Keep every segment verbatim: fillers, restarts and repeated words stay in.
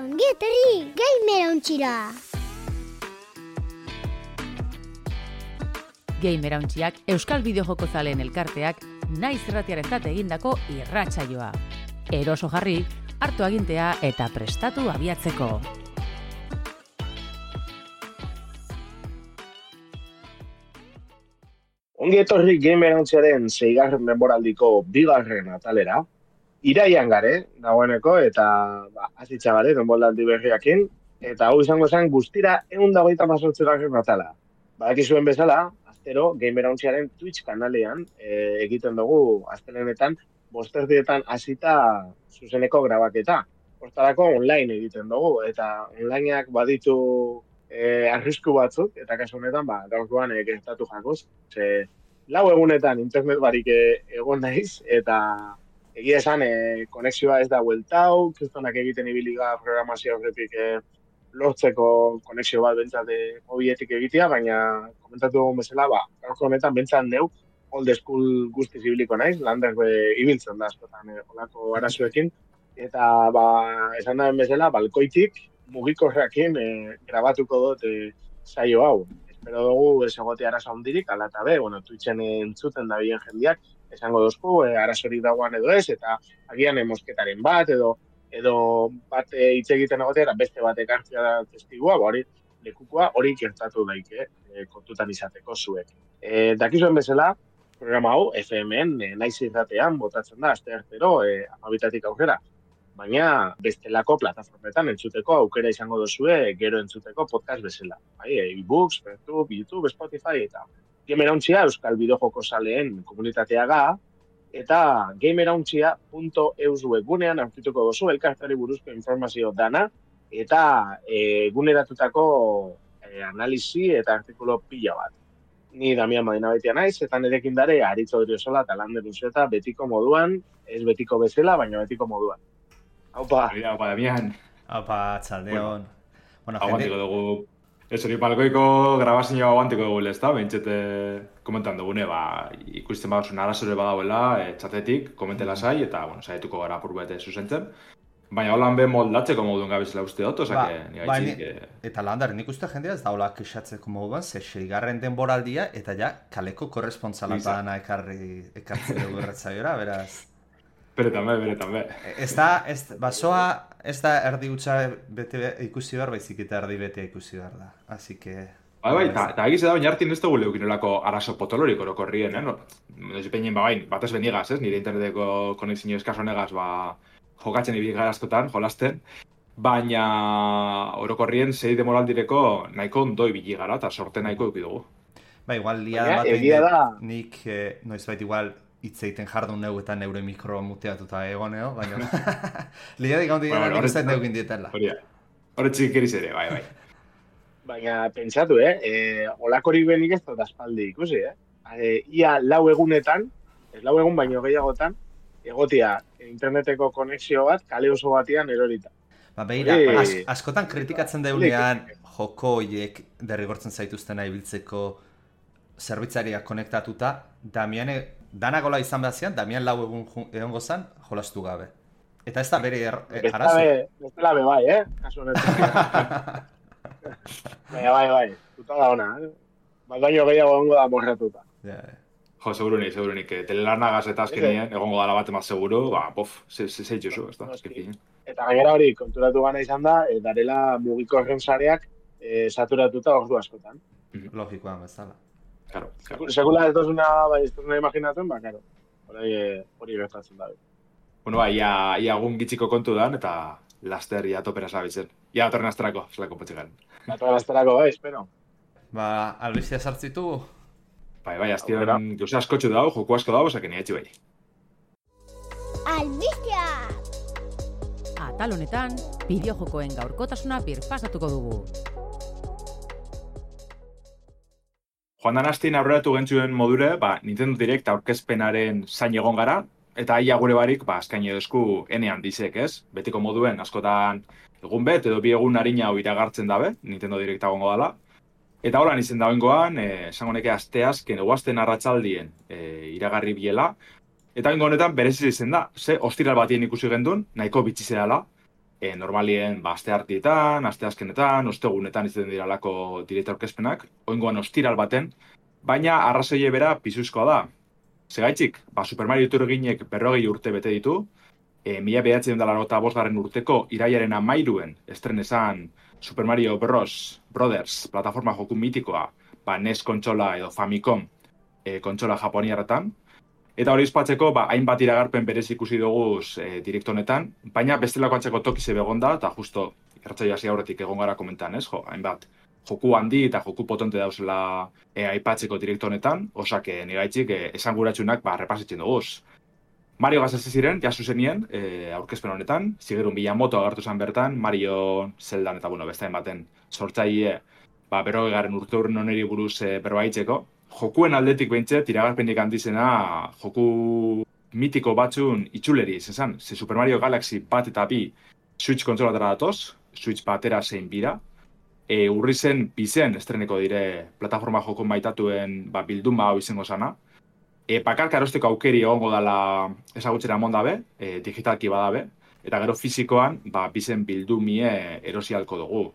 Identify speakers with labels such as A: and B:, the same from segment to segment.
A: Ongi etorri Gamerauntxira.
B: Gamerauntxiak Euskal Bideojoko zaleen elkarteak naiz irratiarentzat egindako irratsaioa. Eroso jarri, hartu agintea eta prestatu abiatzeko.
C: Ongi etorri Gamerauntxiaren seigarren denboraldiko bigarren atalera. Iraian gare, dagoeneko, eta ba, azitza gare, denboraldi berriakin, eta hau izango zen guztira ehun eta hogeita hemezortzigarren atala. Badakizuen bezala, astero Gamerauntxiaren Twitch kanalean e, egiten dugu astelenetan bosterdietan hasita zuzeneko grabaketa. Hortarako online egiten dugu, eta onlineak baditu e, arrisku batzuk, eta kasu honetan, ba, gaurkoan e, gertatu jakoz. Ze, lau egunetan internet barik e, egon naiz, eta egia esan, e, konexioa ez da bueltau, kristonak egiten ibiliga programazio horretik e, lortzeko konexio bat bentsate mobietik egitea, baina komentatu dugun bezala, ba, gaurko honetan bentsat neu, old school guztiz ibiliko naiz, lander be, ibiltzen da askotan e, olako arazoekin, eta ba, esan da bezala, balkoitik mugikorrekin e, grabatuko dut e, saio hau. Espero dugu ez egote arazo handirik, ala eta be, bueno, Twitchen entzuten da bien jendiak, esango dozku, e, arazorik dagoan edo ez, eta agian e, mosketaren bat, edo edo bat hitz e, egiten egotera, beste bat ekartzea da testigua, ba, hori lekukoa hori gertatu daike e, kontutan izateko zuek. E, dakizuen bezala, programa hau, F M-en, e, naiz irratean, botatzen da, aste artero, e, amabitatik aurrera. Baina bestelako plataformetan entzuteko aukera izango dozue, gero entzuteko podcast bezala. Bai, e-books, YouTube, YouTube, Spotify, eta Gamerauntxia Euskal Bideojoko zaleen komunitatea ga, eta gamerauntxia punto eus webgunean aurkituko dozu elkartari buruzko informazio dana, eta eguneratutako e, analisi eta artikulo pila bat. Ni Damian Madinabaitia naiz, eta nirekin dare Aritz Odriozola eta Lander Uxeta betiko moduan, ez betiko bezala, baina betiko moduan. Aupa!
D: Aupa, Damian!
E: Aupa, txaldeon!
D: Bueno, aguantiko dugu. Ez hori palkoiko grabazioa aguantiko dugu, ez da? Bentsete komentan dugune, ba, ikusten baduzun arazore badauela, e, txatetik, komentela zai, eta, bueno, saietuko gara apur bete zuzentzen. Baina holan be moldatzeko moduen gabizela uste dut, oza, ba, que
E: ba, ni, que... Eta Lander, nik uste jendea ez daula kexatzeko moduan, ze seigarren denboraldia, eta ja, kaleko korresponsalatana ekarri, ekartzi dugu erretzaiora, beraz...
D: Bere també, bere també.
E: Ez da, ez, basoa, ez da erdi utxa bete ikusi behar, baizik eta erdi bete ikusi behar da. Así que...
D: Bai, bai, eta egiz da, baina hartin ez dugu leukinolako arazo potolorik orokorrien, eh? No, peinen, ba, bain, batez benigaz, ez? Nire interneteko konexio eskaso negaz, ba, jokatzen ibili gara askotan, jolasten. Baina orokorrien zei demoraldireko nahiko ondo ibili gara, eta sorte nahiko eduki dugu.
E: Ba, igual, liada bat egin nik, eh, noizbait igual, hitz egiten jardun neu eta neure mikro muteatuta egoneo, baina... Liadik hau dira, nik uste neu gindietarla.
D: Hore txikeriz ere, bai, bai.
C: Baina, pentsatu, eh? E, olakorik benik ez dut aspaldi ikusi, eh? E, ia lau egunetan, ez lau egun baino gehiagotan, egotia interneteko konexio bat, kale oso batian erorita.
E: Ba, behira, as, askotan kritikatzen deunean joko horiek derrigortzen zaituztena ibiltzeko zerbitzariak konektatuta, Damiane, danagola izan behazian, Damian lau egun egongo zan, jolastu gabe. Eta ez da bere er, er, arazo.
C: Bestela be bai, eh? Kasu honetan. Baina bai, bai, tuta da ona, eh? Baino gehiago egongo da morratuta.
E: Yeah.
D: Jo, segurunik, segurunik. Telelarnagaz eta azkenien, egongo dala bat emaz seguro, ba, pof, zeitxuzu, ez da, azkekin.
C: Eta gainera hori, konturatu gana izan da, e, darela mugiko erren sareak e, saturatuta ordu askotan.
E: Logikoan bezala.
D: Claro, claro.
C: Sekula ez dozuna, bai, ez dozuna imaginatzen, ba, claro. Hori, hori gertatzen da.
D: Bueno, ba, ia, ia gun gitziko kontu dan, eta laster ia topera zabitzen. Ia atorren azterako, zelako potxegan.
C: Atorren azterako, bai, espero.
E: Ba, albizia sartzitu?
D: Bai, bai, aztion gauza askotxu dau, joku asko dau, osak enietxi bai.
A: Albizia!
B: Atal honetan, bideojokoen gaurkotasuna birpasatuko dugu.
D: Joan dan hastin aurreratu gentzuen modure, ba, Nintendo Direct aurkezpenaren zain egon gara, eta aia gure barik, ba, azkaini edozku enean dizek, ez? Betiko moduen, askotan egun bet, edo bi egun harina hau iragartzen dabe, Nintendo Direct agongo dala. Eta holan izen dagoengoan, esango neke asteazken, eguazten arratsaldien e, iragarri biela. Eta bengo honetan berezi izen da, ze ostiral batien ikusi gendun, nahiko bitxizea dela. e, normalien ba, aste hartietan, aste azkenetan, ostegunetan izaten dira alako direkta aurkezpenak, oingoan ostiral baten, baina arrazoie bera pisuzkoa da. Segaitzik, ba, Super Mario iturginek berrogei urte bete ditu, e, mila bederatziehun eta laurogeita bosgarren urteko irailaren hamairuen estrenesan Super Mario Bros. Brothers, plataforma joku mitikoa, ba, N E S kontsola edo Famicom e, kontsola japoniarretan. Eta hori izpatzeko, ba, hainbat iragarpen berez ikusi dugu e, direkto honetan, baina bestelako antzeko tokize begon da, eta justo irratsaio hasi aurretik egon gara komentan, ez? Jo, hainbat joku handi eta joku potente dauzela e, aipatzeko direkto honetan, osak e, negaitzik e, esanguratsunak ba, repasitzen duguz. Mario gazase ziren, jasu zenien, e, aurkezpen honetan, Shigeru Miyamoto agertu zen bertan, Mario Zeldan eta bueno, beste baten sortzaile ba, berrogeigarren urte urren oneri buruz e, berbaitzeko. Jokuen aldetik behintzet, iragarpenik handizena joku mitiko batzun itxuleri izan. Ze Super Mario Galaxy bat eta bi Switch kontsolatara datoz, Switch batera zein bira. E, urri zen bizen estreneko dire plataforma joko maitatuen ba, bilduma hau izango sana. E, bakarka erosteko aukeri egongo dela ezagutzera emon dabe, e, digitalki badabe, eta gero fizikoan ba, bizen bildumie erosialko dugu.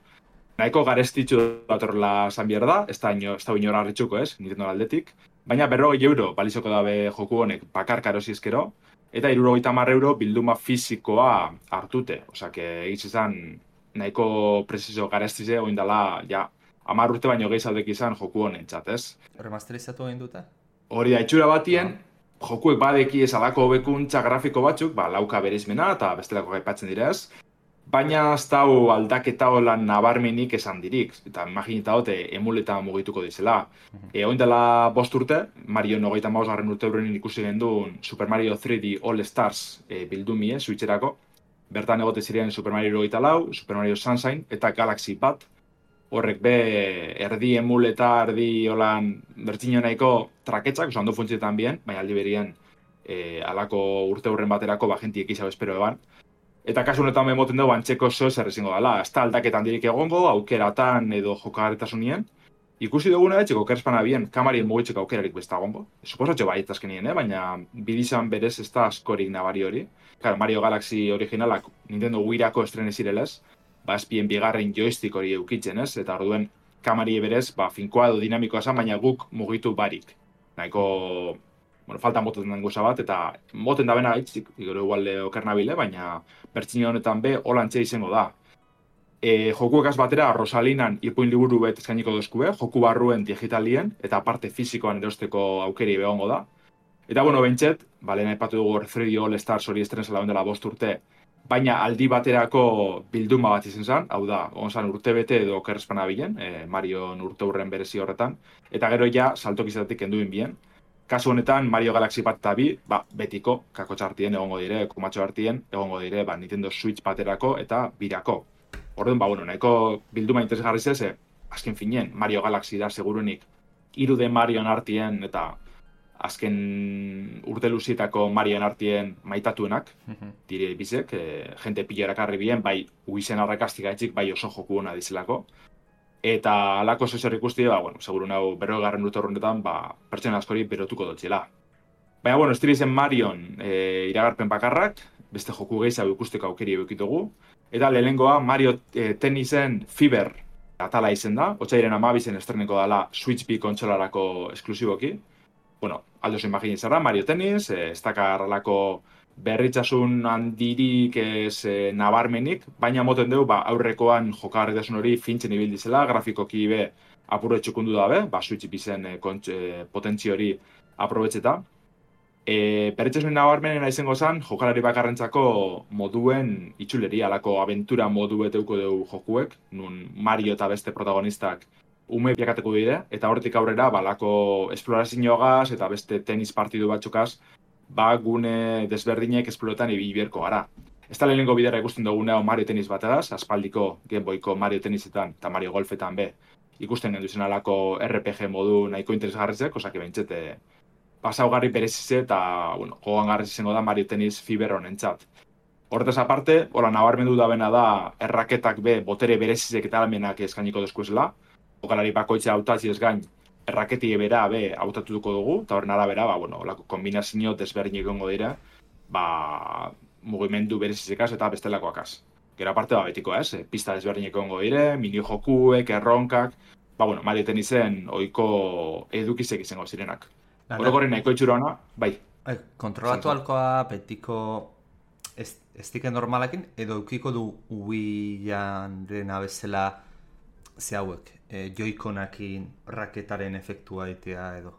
D: Nahiko garestitxu datorla zan behar da, ez da inora harritxuko ez, Nintendo aldetik, baina berrogei euro balizoko dabe joku honek bakarka erosi ezkero, eta hirurogeita hamar euro bilduma fizikoa hartute. Osak, egiz izan nahiko preciso garestize, oindala, ja, hamar urte baino gehizaudek izan joku honen txat, ez?
E: Remasterizatu egin dute?
D: Hori da, itxura batien, no. Jokuek badeki ez alako hobekuntza grafiko batzuk, ba, lauka bereizmena eta bestelako gaipatzen dira ez, baina ez dau aldaketa holan nabarmenik esan dirik, eta imaginita hote emuleta mugituko dizela. Uh-huh. E, oindela bost urte, Mario nogeita mausgarren urte horren ikusi genduen Super Mario tri D All Stars e, bildumie, Switcherako. Bertan egote ziren Super Mario nogeita lau, Super Mario Sunshine eta Galaxy bat. Horrek be erdi emuleta, erdi holan bertxino nahiko traketzak, oso ondo funtzietan bien, baina aldi berien e, alako urte horren baterako ba, jentiek izau espero eban. Eta kasu honetan memoten dugu antxeko zo zer ezingo dela. Ez da aldaketan dirik egongo, aukeratan edo jokagarritasunien. Ikusi duguna etxeko kerspana bien, kamarien mugitzeko aukerarik besta egongo. Suposatxo bai etazkenien, eh? Baina bidizan berez ez da askorik nabari hori. Claro, Mario Galaxy originalak Nintendo Wii-rako estrene zirelez, ba espien bigarren joystick hori eukitzen ez, eta orduen kamarie berez, ba finkoa edo dinamikoa zen, baina guk mugitu barik. Nahiko... Bueno, falta moten den goza bat, eta moten da bena gaitzik, gero igual okernabile, baina bertxino honetan be, holantxe izango da. E, jokuekaz batera, Rosalinan ipuin liburu bet eskainiko dozkue, joku barruen digitalien, eta parte fizikoan erosteko aukeri behongo da. Eta, bueno, bentset, balen aipatu dugu tri D All Stars hori estrenzela dela bost urte, baina aldi baterako bilduma bat izan zen, hau da, onzan urte bete edo okerrezpana bilen, e, Marion urte hurren berezi horretan, eta gero ja, saltokizatik enduin bien. Kasu honetan, Mario Galaxy bat eta bi, ba, betiko, kakotxa hartien egongo dire, kumatxo hartien egongo dire, ba, Nintendo Switch baterako eta birako. Orduan, ba, bueno, nahiko bilduma interesgarri zeze, azken finien, Mario Galaxy da segurunik, irude Marion hartien eta azken urte luzietako Marion hartien maitatuenak, mm-hmm. dire bizek, e, jente pila erakarri bien, bai, uizen arrakastik gaitzik, bai oso joku hona dizelako. Eta alako zozer ikusti, ba, bueno, seguru nahu berrogarren urte horrenetan, ba, pertsona askori berotuko dutxela. Baina, bueno, ez dira izen Marion e, iragarpen bakarrak, beste joku gehiago ikusteko aukeri eukitugu. Eta lehenengoa Mario e, Tennisen Fiber atala izen da, otsaiaren amabizen estreneko dela Switch B kontsolarako esklusiboki. Bueno, aldo zen imagine zara, Mario Tennis, e, ez dakar alako berritzasun handirik ez e, nabarmenik, baina moten dugu ba, aurrekoan jokagarritasun hori fintzen ibildizela, grafikoki be apurre txukundu dabe, ba, Switch bizen e, e, potentzi hori aprobetxeta. E, berritzasun nabarmenena izango zen, jokalari bakarrentzako moduen itxuleri, alako aventura modu beteuko dugu jokuek, nun Mario eta beste protagonistak ume biakateko dire, eta horretik aurrera, ba, alako esplorazioagaz eta beste tenis partidu batzukaz, ba, gune desberdinek esploretan ibiberko gara. Ez da lehenengo bidera ikusten duguna Mario Tennis bategaz, aspaldiko Game Boyko Mario Tennisetan eta Mario Golfetan be, ikusten genduzen alako R P G modu nahiko interesgarrizek, osake bentsete pasaugarri berezize eta, bueno, jogan garriz izango da Mario Tennis Fiber honentzat. Horretaz aparte, hola nabarmendu da bena da erraketak be, botere berezizek eta almenak eskainiko dozkuezela, jokalari bakoitza hautatzi ez gain, erraketi bera be hautatuko dugu, eta horren arabera, ba, bueno, kombinazio desberdinik egongo dira, ba, mugimendu berezizekaz eta bestelakoakaz. Gero aparte da betiko, ez? E, pista desberdinek egongo dire, mini jokuek, erronkak, ba, bueno, Mario Tennisen ohiko edukizek izango zirenak. Orokorren nahiko itxura bai.
E: Eh, kontrolatu alkoa betiko ez, ez dike normalekin, edo eukiko du Wii-an dena bezala ze hauek, e, joikonakin raketaren efektua egitea edo.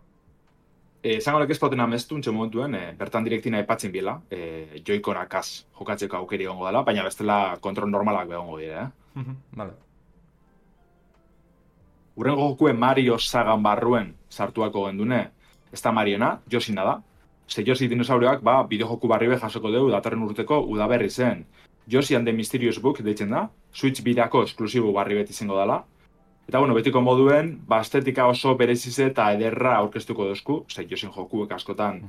D: Zango lek ez pauten amestu, untxe momentuen, e, bertan direktina epatzen biela, e, joikonakaz jokatzeko aukeri egongo dela, baina bestela kontrol normalak begongo dira, eh?
E: Vale.
D: Urrengo jokuen Mario sagan barruen sartuako gendune, ez da Mariona, Yoshina da. Ze Yoshi dinosaurioak, ba, bideojoku barri be jasoko dugu datorren urteko udaberri zen. Yoshi and the Mysterious Book deitzen da, Switch birako esklusibo barri bet izango dela. Eta, bueno, betiko moduen, ba, estetika oso berezize eta ederra aurkeztuko dozku, ze Yoshin jokuek askotan,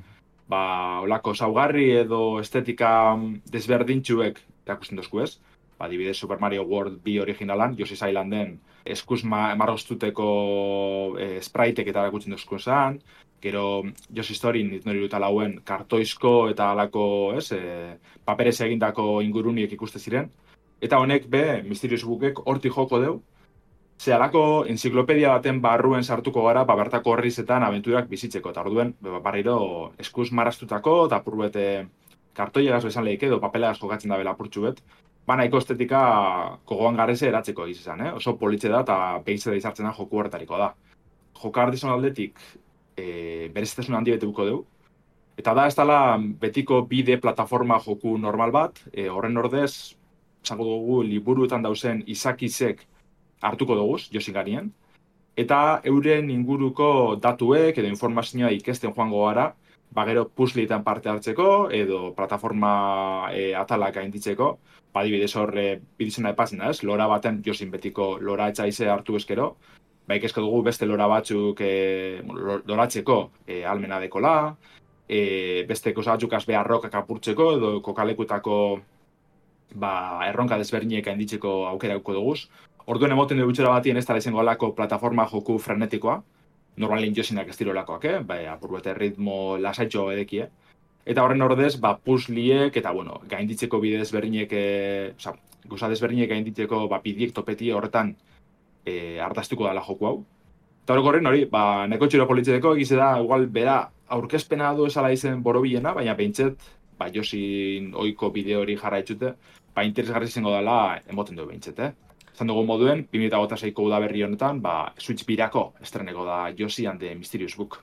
D: ba, olako saugarri edo estetika desberdintxuek erakusten dozku ez. Ba, adibidez Super Mario World bi originalan, Yoshi's Islanden, eskuz ma marroztuteko e, spraitek eta erakutzen dozku esan, gero Yoshi Story nori dut alauen kartoizko eta alako, ez, e, paperez egindako inguruniek ikuste ziren. Eta honek be, Mysterious Bookek hortik joko deu, ze alako enziklopedia baten barruen sartuko gara, ba, bertako horrizetan abenturak bizitzeko, eta orduen, ba, barriro eskuz marraztutako, eta purbete kartoiegaz bezan lehik edo, papelegaz jokatzen da bela purtsu bet, ba, nahiko estetika kogoan garreze eratzeko egizizan, eh? Oso politxe da, eta behitze da izartzen da joku horretariko da. Joka ardizon aldetik, e, berezitasun handi bete buko dugu, eta da, ez dala betiko bide plataforma joku normal bat, e, horren ordez, zango dugu, liburuetan dauzen izakizek hartuko duguz, Yoshi garien, eta euren inguruko datuek edo informazioa ikesten joango gara, ba gero puzzleetan parte hartzeko edo plataforma e, atalak gainditzeko, ba adibidez hor e, bidizena epatzen da, ez? Lora baten Yoshin betiko lora etxaize hartu ezkero, ba ikesko dugu beste lora batzuk e, loratzeko e, almena dekola, e, beste kosa batzuk azbe arrokak apurtzeko edo kokalekutako ba, erronka desberdinek gainditzeko aukera auko duguz. Orduen emoten dugu txera batien ez dara izango alako plataforma joku frenetikoa, normalin Yoshinak ez dirolakoak, eh? Ba, apurbete ritmo lasaitxo edekie. Eta horren ordez, ba, puzzliek eta, bueno, gainditzeko bide desberdinek, e, oza, goza desberdinek gainditzeko ba, bidiek topetie horretan e, ardaztuko dela joku hau. Eta horrekorren hori, ba, neko txero politzeteko egize da, igual, bera, aurkezpena du esala izen borobilena, baina behintzet, ba, Yoshin oiko bideo hori jarraitzute, ba, interesgarri izango dela emoten du behintzet, eh? Zan dugu moduen, bi mila hogeita seiko udaberri honetan, ba, Switch birako estreneko da Yoshi and the Mysterious Book.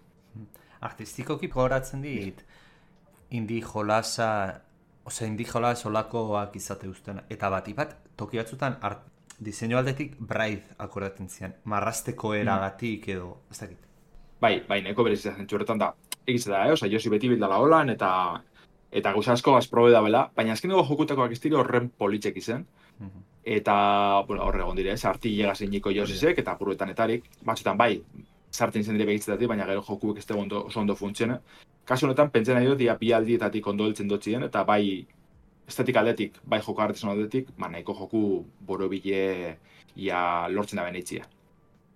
E: Artistikoki gogoratzen dit, indi jolasa, ose indi jolas olakoak izate uzten, eta bat, bat, toki batzutan, art, diseinu aldetik Braid akordaten zian, marrasteko eragatik edo, ez dakit.
D: Bai, bai, neko berezia zentzu horretan da, egiz da, eh? Osa, Yoshi beti bildala holan, eta eta gauza asko azprobe da bela, baina azken dugu jokutakoak ez dira horren politxek izen. Eta, bueno, horre egon dire, sarti llegasen niko Yoshisek, eta apuruetan etarik, batzutan bai, sartzen zen dire behitzetatik, baina gero jokuek ez ondo, oso ondo funtsione. Kasu honetan, pentsen nahi dut, dia bi aldietatik ondo heltzen dotzien, eta bai, estetik aldetik, bai joko artizan aldetik, ba, nahiko joku borobile ia lortzen da beneitzia.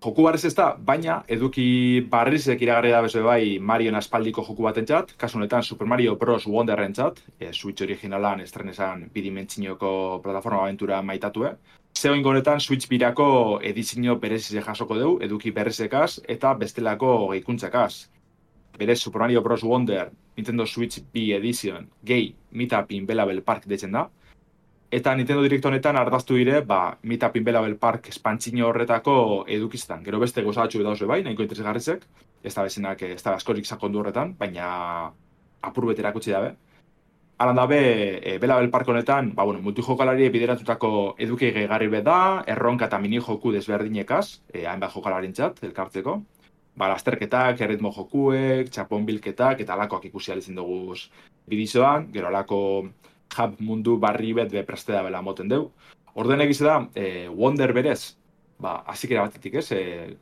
D: Joku barrez ez da, baina eduki barrizek iragarri da bezo bai Marion aspaldiko joku batentzat, kasu honetan Super Mario Bros. Wonderrentzat, e, Switch originalan estrenesan bidimentzinoko plataforma aventura maitatue. Zeo ingonetan Switch birako edizio berezize jasoko dugu, eduki berrizekaz eta bestelako gehikuntzakaz. Berez Super Mario Bros. Wonder Nintendo Switch bi Edition gehi Meetup in Bellable Park deitzen da. Eta Nintendo Direct honetan ardaztu dire, ba, Meetup in Bellable Park espantzino horretako edukiztan. Gero beste goza batxu dauz bai, nahiko interesgarrizek. Ez da bezenak, ez da askorik sakondu horretan, baina apur bet erakutsi dabe. Alan dabe, e, Bellable Park honetan, ba, bueno, multijokalari bideratutako eduki gehigarri bet da, erronka eta mini joku desberdinekaz, e, hainbat jokalarintzat, elkartzeko. Ba, lasterketak, erritmo jokuek, txapon bilketak, eta alakoak ikusi alizen dugu bidizoan, gero alako hub mundu barri bet bepreste da bela moten deu. Orden egize da, e, Wonder berez, ba, azikera batetik ez, e,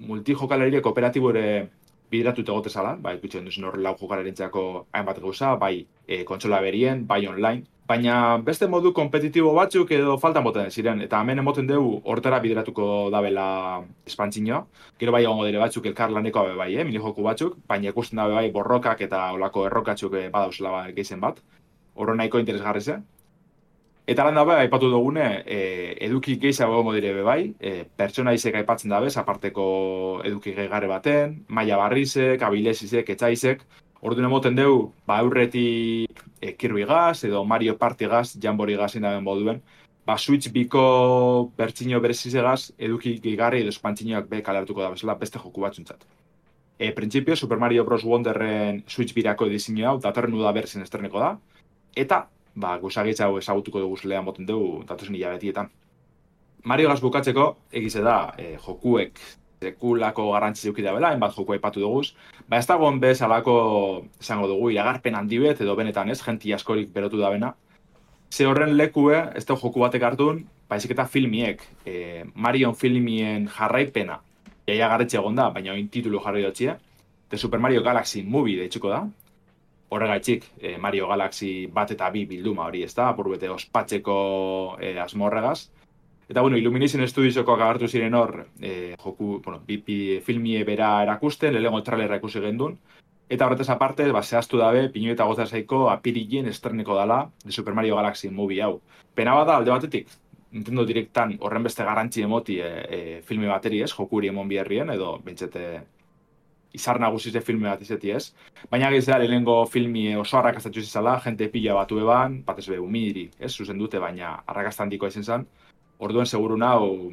D: multijokalarire kooperatibo ere bideratuta gotezala, ba, ikutzen duzen hor lau jokalarientzako hainbat gauza, bai e, kontsola berien, bai online, baina beste modu kompetitibo batzuk edo faltan boten ziren, eta hemen emoten dugu hortara bideratuko dabela espantzinoa. Gero bai egongo dire batzuk elkarlaneko abe bai, eh, minijoku batzuk, baina ikusten dabe bai borrokak eta olako errokatzuk badauzela ba, gehizen bat. Horro nahiko interesgarri ze. Eta lan dabe, aipatu dugune, e, eduki gehiago egongo dire bebai, e, pertsona izek aipatzen dabez, aparteko eduki gehigarre baten, Maia Barrizek, Abilesizek, Etxaizek, orduan emoten dugu, ba, aurretik e, Kirby Gaz, edo Mario Party Gaz, Jambori Gazin daben boduen, ba, Switch biko bertxino berezizegaz, eduki gehigarri edo espantzinoak be kaleratuko da bezala beste joku batzuntzat. E, Printzipio, Super Mario Bros. Wonderren Switch birako edizio hau, datorren uda berzien estreneko da, eta ba, guzagitza hau ezagutuko dugu zelean boten dugu datozen hilabetietan. Mario Gaz bukatzeko, egize da, e, jokuek sekulako garrantzi zeuki da bela, hainbat joku aipatu duguz, ba ez dagoen bez alako, esango dugu, iragarpen handi bet, edo benetan ez, jenti askorik berotu da bena. Ze horren lekue, ez da joku batek hartun, baizik eta filmiek, e, Marion filmien jarraipena, jaia garretxe egon da, baina oin titulu jarri dutxie, The Super Mario Galaxy Movie deitzuko da, horregaitxik, eh, Mario Galaxy bat eta bi bilduma hori, ez da, apurbete ospatzeko eh, asmo horregaz. Eta, bueno, Illumination Studiosokoak agartu ziren hor, eh, joku, bueno, bipi filmie bera erakusten, lehengo trailerra ikusi gendun. Eta horretaz aparte, ba, zehaztu dabe, pinu eta goza zaiko apirilien estreneko dala de Super Mario Galaxy Movie hau. Pena bada, alde batetik, Nintendo Directan horren beste garrantzi emoti e, e, filme bateri ez, jokuri emon biherrien, edo bentsete izar nagusize filme bat izeti ez. Baina gizela, lehenengo filmi oso arrakastatxu izala, jente pila batu eban, batez be, umidiri, ez, zuzen dute, baina arrakastan dikoa izen zen. Orduen seguru nau,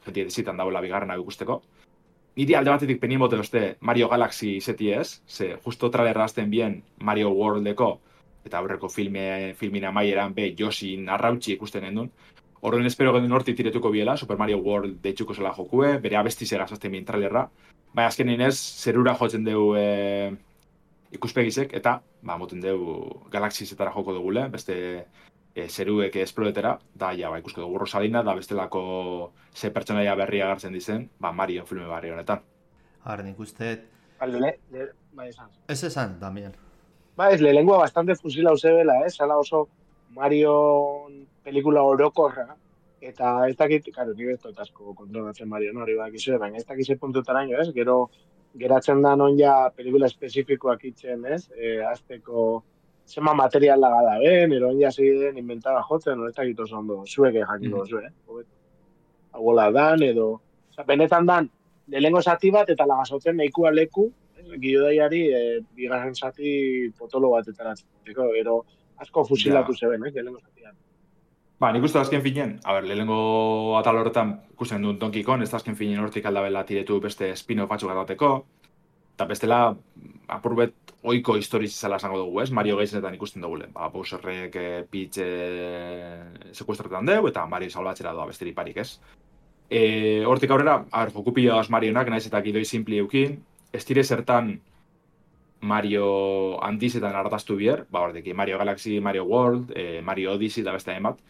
D: jenti edezitan dagoela bigarren hau ikusteko. Niri alde batetik penien bote beste Mario Galaxy izeti ez, ze justo trailerra azten bien Mario Worldeko, eta aurreko filme, filmina maieran be Yoshin arrautxi ikusten gendun. Orduen espero gendun horti tiretuko biela, Super Mario World deitzuko zela jokue, bere abestizegaz azten bien trailerra. Baina azken inez, zerura jotzen dugu e, ikuspegizek, eta ba, moten dugu Galaxizetara joko dugule, beste e, zeruek esploretera, da ja, ba, ikusko dugu Rosalina, da bestelako ze pertsonaia berria agertzen dizen, ba, Mario filme barri honetan.
E: Ahora, nik uste...
C: Alde, le, le, bai esan.
E: Ez esan, Damian.
C: Ba, ez, lehengua bastante fusila uzebela, ez? Zala oso Mario pelikula orokorra, eta ez dakit, karo, nire ez dut asko kontrolatzen Mario hori bak izue, baina ez dakize puntutaraino, ez? Gero, geratzen da non ja pelikula espezifikoak itzen, ez? E, azteko zema material laga da ben, ero ja ziren inventara jotzen, no ez dakit oso ondo, zuek jakiko zuen, eh? Agola dan, edo... Osa, benetan dan, lehengo zati bat eta lagasotzen nahikoa leku, gildaiari e, bigarren zati potolo bat etaratzeko, ero asko fusilatu ja. Zeben, ez? Lehengo zatian.
D: Ba, nik uste azken finen, a ber, lehenengo atal horretan ikusten duen Donkey Kong, ez da azken finen hortik aldabela tiretu beste spin-off batzuk atateko, eta bestela, apurbet oiko historiz izala esango dugu, ez? Mario Geizenetan ikusten dugu, ba, Bowserrek e, Peach e, sekuestretan dugu, eta Mario salbatzera doa besteri parik, ez? E, hortik aurrera, a ber, joku pila doaz Marionak, naiz eta gidoi simpli eukin, ez dire zertan Mario handizetan hartaztu bier, ba, hordeki, Mario Galaxy, Mario World, e, Mario Odyssey da beste emat,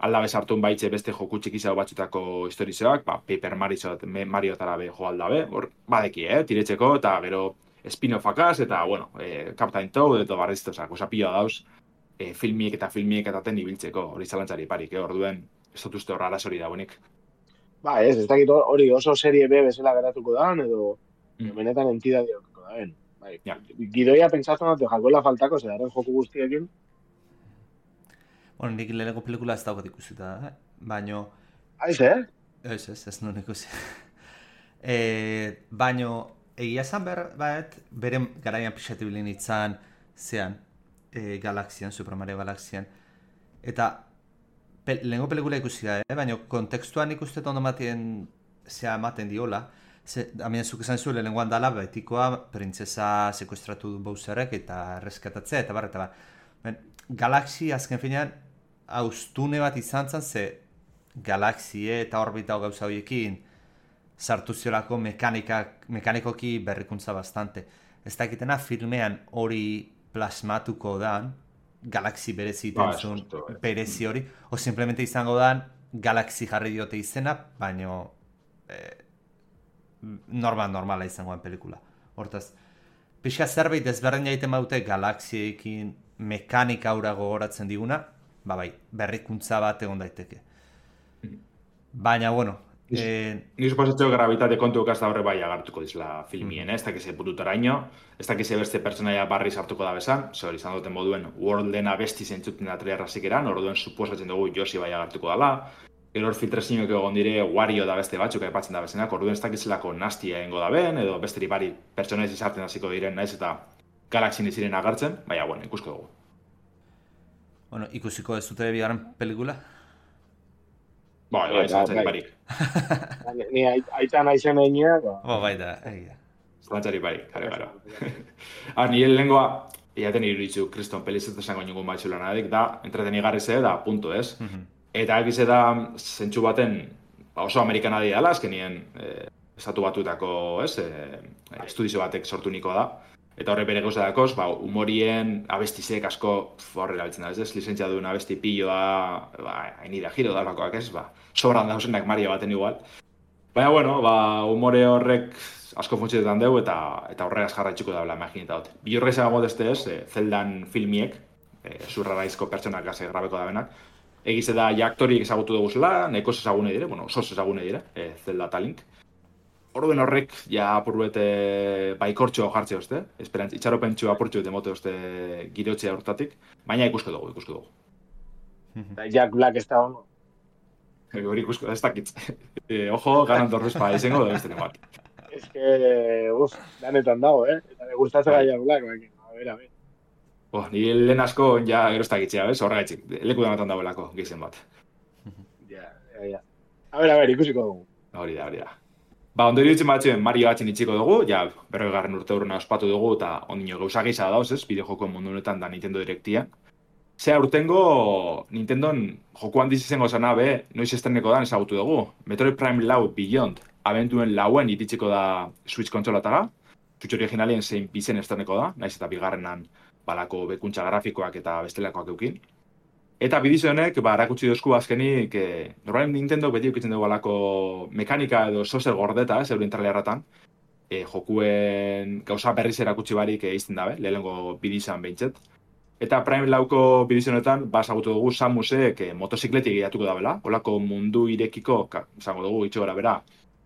D: aldabe sartun baitze beste joku txikizao batzutako historizoak, ba, Paper Mario tarabe jo aldabe, hor, badeki, eh, tiretzeko, eta gero spin-offakaz, eta, bueno, eh, Captain Toad, eta barriztozak, osa pila dauz, eh, filmiek eta filmiek etaten ibiltzeko, hori zalantzari parik, eh, orduen, ez dut uste horra arazori dagoenik.
C: Ba, ez, ez dakit hori oso serie B bezala geratuko da, edo mm. benetan entidadioko da, ben. Bai, ja. Gidoia pentsatzen dut, jakoela faltako, zedaren joku guztiekin.
E: Bueno, nik leheneko pelikula ez daukat ikusita, eh? Baino...
C: Aiz, eh?
E: Ez, ez, ez nuen ikusi. e, baino, egia esan behar, bat, bere garaian pixatibilin itzan, zean, e, Galaxian, Super Mario Galaxian. Eta, pe, lehenko pelikula ikusi da, eh? Baino, kontekstuan ikustetan ondo matien, zea ematen diola, ze, amien zuk esan zuen lehenkoan dala, betikoa, printzesa sekuestratu du Bowserrek eta erreskatatzea, eta bar, eta bar. Ben, Galaxy azken finean haustune bat izan zen, ze Galaxie eta orbita gauza horiekin sartu ziolako mekanikoki berrikuntza bastante. Ez dakitena filmean hori plasmatuko dan, Galaxy berezi itentzun, ba, berezi hori, o simplemente izango dan Galaxy jarri diote izena, baino eh, normal normala izangoan pelikula. Hortaz, pixka zerbait ezberdin jaiten baute Galaxiekin mekanika aura gogoratzen diguna, ba bai, berrikuntza bat egon daiteke. Baina, bueno,
D: Ni suposatxo gravitate kontu okazta horre bai agartuko dizla filmien, ez dakize pututaraino, ez dakize beste pertsonaia barri sartuko da bezan, zor izan duten moduen Worlden abesti zentzuten da trailerrazik eran, orduen suposatzen dugu Josi bai agartuko dala, gero hor filtrazioak egon dire Wario da beste batzuk aipatzen da bezenak, orduen ez dakizelako nastia egingo da ben, edo besteri bari pertsonaiz izartzen hasiko diren naiz eta Galaxin iziren agartzen, baina, bueno, ikusko dugu.
E: Bueno, ikusiko ez dute bigarren pelikula?
D: Ba, bai, zalantzari barik.
C: Ni aita naizen egin, ba.
E: Ba, bai da, egia.
D: Zalantzari barik, kare gara. Ar, nire lehengoa, iaten iruditu, kriston pelizet esango ningun baitxula nadik, da, entretenigarri ze, da, punto, ez? Eta egize da, zentsu baten, oso amerikana dira dela, azkenien, estatu batuetako, ez, estudizio batek sortu niko da. Eta horre bere gauza dakoz, ba, humorien abestizek asko horre erabiltzen da, ez ez, lizentzia duen abesti pilloa, ba, hainida giro dalakoak ez, ba, sobran dauzenak Mario baten igual. Baina, bueno, ba, humore horrek asko funtzioetan dugu eta eta horregaz jarraitzuko daula, imaginita dut. Bilurra izan modeste ez, e, Zeldan filmiek, e, zurraraizko pertsonak gase grabeko da benak, egize da ja aktoriek ezagutu dugu zela, nahiko ezagune dire, bueno, sos ezagune dire, e, Zelda eta Link. Orduen horrek, ja apurbete baikortxo jartzea uste, esperantz, itxaropentxo apurtxo eta mote uste girotzea hortatik, baina ikusko dugu, ikusko dugu.
C: Eta Jack Black ez da ono.
D: Hori ikusko, ez dakitz. E, ojo, ganan dorrezpa izango da beste bat.
C: Ez que, uf, danetan dago, eh? Eta me gustatzea Jack Black, baina, a ver, a ver.
D: Oh, ni lehen asko, ja, gero ez dakitzea, bez? Horregaitzik, leku danetan dagoelako, gizen bat.
C: Ja, ja, ja. A ver, a ver, ikusiko dugu.
D: Hori da, hori da. Ba, ondo iruditzen batzuen Mario batzen itxiko dugu, ja, berrogegarren urte urruna ospatu dugu, eta ondino gauza gisa dauz, ez, bideojokoen mundu honetan da Nintendo Directia. Zea urtengo Nintendon joko handiz izango zana be, noiz estreneko dan ezagutu dugu. Metroid Prime lau Beyond, abentuen lauen ititziko da Switch kontsolataga, Switch originalien zein bizen estreneko da, naiz eta bigarrenan balako bekuntza grafikoak eta bestelakoak eukin. Eta bidizo honek, ba, erakutsi dozku azkenik, e, normalen Nintendo beti eukitzen dugu alako mekanika edo sozer gordeta, ez, euren trailerratan, e, jokuen gauza berriz erakutsi barik egizten dabe, lehenengo bidizan behintzet. Eta Prime lauko bidizo honetan, ba, ezagutu dugu Samusek e, motozikletik gehiatuko dabela, olako mundu irekiko, esango dugu, itxo gara bera,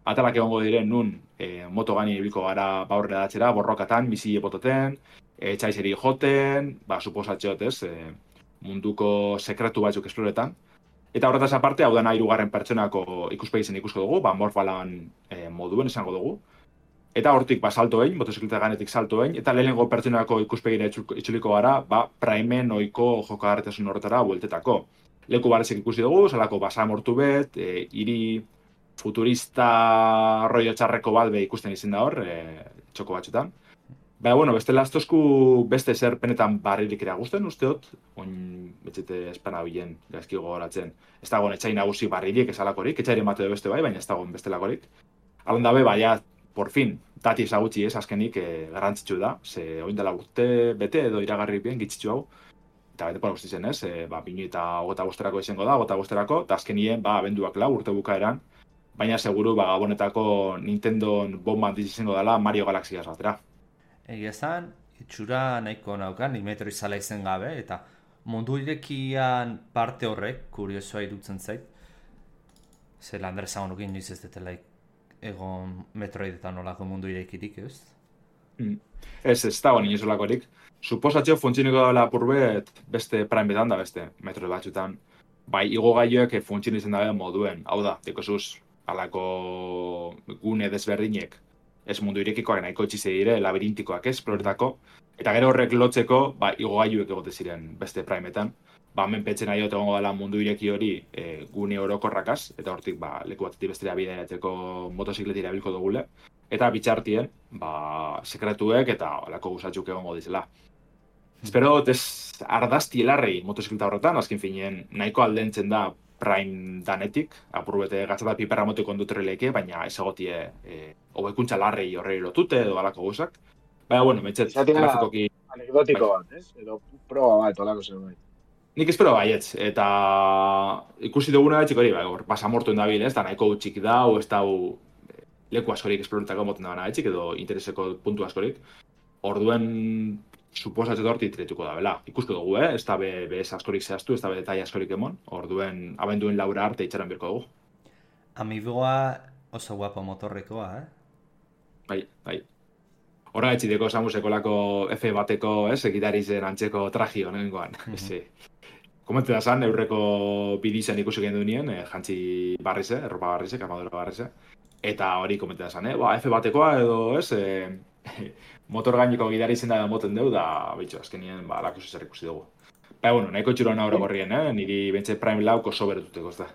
D: atalak egongo diren nun, e, moto gani ibiliko gara baurre datxera, borrokatan, misile bototen, e, txaizeri joten, ba, suposatxeot, ez, e, munduko sekretu batzuk esploretan. Eta horretaz aparte, hau dena hirugarren pertsonako ikuspegi zen ikusko dugu, ba, morfalan e, moduen esango dugu. Eta hortik ba, salto egin, motozikleta ganetik salto egin, eta lehenengo pertsonako ikuspegira itxuliko gara, ba, Primen oiko jokagarritasun horretara bueltetako. Leku barezik ikusi dugu, salako basa mortu bet, e, hiri futurista rollo txarreko bat be ikusten izin da hor, e, txoko batxutan. Baina, bueno, beste lastozku beste zer penetan barririk ere guzten, usteot, oin betxete espana bilen gaizki gogoratzen. Ez dagoen etxai nagusi barririk esalakorik, etxaire mate do beste bai, baina ez dagoen bestelakorik. Alon dabe, baina, por fin, dati ezagutzi ez, azkenik eh, garrantzitsu da, ze oin dela urte bete edo iragarri bien gitzitzu hau, eta bete pora guztitzen ez, e, ba, binu eta gota bosterako izango da, gota bosterako, eta azkenien, ba, abenduak lau urte bukaeran, baina seguru, ba, gabonetako Nintendo bomba handiz izango dela Mario Galaxy batera.
E: Egia esan, itxura nahiko naukan, ni Metroid zala izen gabe, eta mundu irekian parte horrek, kuriosoa irutzen zait. Zer Lander esan honukin noiz ez detelaik egon Metroid eta nolako mundu irekirik, ez?
D: Mm. Ez, ez dago nien solakorik. Suposatxo funtzioniko dela apurbet beste Prime betan da beste Metroid batzutan. Bai, igo gaioek funtzioen izan dabe moduen. Hau da, dekosuz, alako gune desberdinek. Ez mundu irekikoak nahiko etxize dire, labirintikoak ez, esploretako. Eta gero horrek lotzeko, ba, igogailuek egote ziren beste Primeetan. Ba, hemen petzen nahi egongo dela mundu ireki hori e, gune orokorrakaz, eta hortik, ba, leku batetik bestera bidaiatzeko motozikletira bilko dugule. Eta bitxartien, ba, sekretuek eta olako gusatzuk egongo dizela. Espero dut ez ardazti helarrei motozikleta horretan, azken finien nahiko aldentzen da Prime danetik, apurbete gatzata piperra moteko ondutreleke, baina ez egotie e, hobekuntza larrei horrei lotute edo alako guzak. Baina, bueno, metxet, grafikoki...
C: Anekdotiko bat, ez? Edo proba bat, olako zer bai.
D: Nik espero baietz, eta ikusi duguna etxik hori, bai, hor, pasamortuen dabil, ez, da nahiko utxik dau, ez dau leku askorik esploretako moten da etxik, edo intereseko puntu askorik. Orduen, suposatzen horti tretuko da, bela. Ikusko dugu, eh? Ez da be, be askorik zehaztu, ez da be detaile askorik emon. Orduen, abenduen laura arte itxaran birko dugu.
E: Amiiboa oso guapo motorrekoa, eh?
D: Bai, bai. Horra etxideko Samuseko lako F bateko, ez, egitari zen antzeko traji honengoan. Mm-hmm. Komente da zan, eurreko bidizen ikusi gendu nien, eh, jantzi barrize, erropa barrize, armadura barrize. Eta hori komente da zan, eh? Ba, F batekoa edo, ez, eh, motor gaineko gidari zen da moten deu, da, bitxo, azkenien, ba, lako zer ikusi dugu. Ba, bueno, nahiko txuroan aurre gorrien, eh? Niri bentsa Prime lauko oso berotuteko, ez da.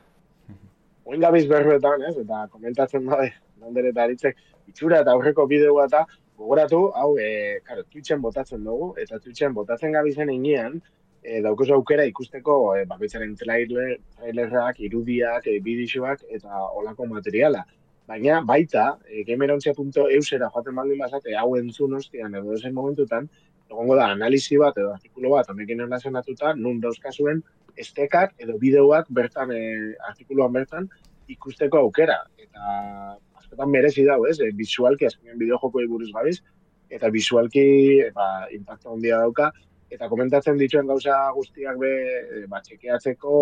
C: Oin gabiz berbetan, ez, eta komentatzen dabe, landere eta aritzek, itxura eta aurreko bideoa eta gogoratu, hau, e, karo, Twitchen botatzen dugu, eta Twitchen botatzen gabizen enean, e, daukoz aukera ikusteko e, bakoitzaren trailer, trailerrak, irudiak, e, bidixoak eta olako materiala. Baina baita, e, gamerontzia puntu eusera joaten baldin bazate, hau entzun ostian edo esen momentutan, egongo da analizi bat edo artikulu bat honekin erlazionatuta, nun dauzkazuen estekak edo bideoak bertan, e, artikuluan bertan, ikusteko aukera. Eta askotan merezi dago, ez? E, visualki, azkenean bideojokoei buruz gabiz, eta visualki ba, impacto handia dauka, eta komentatzen dituen gauza guztiak be, e, ba, txekeatzeko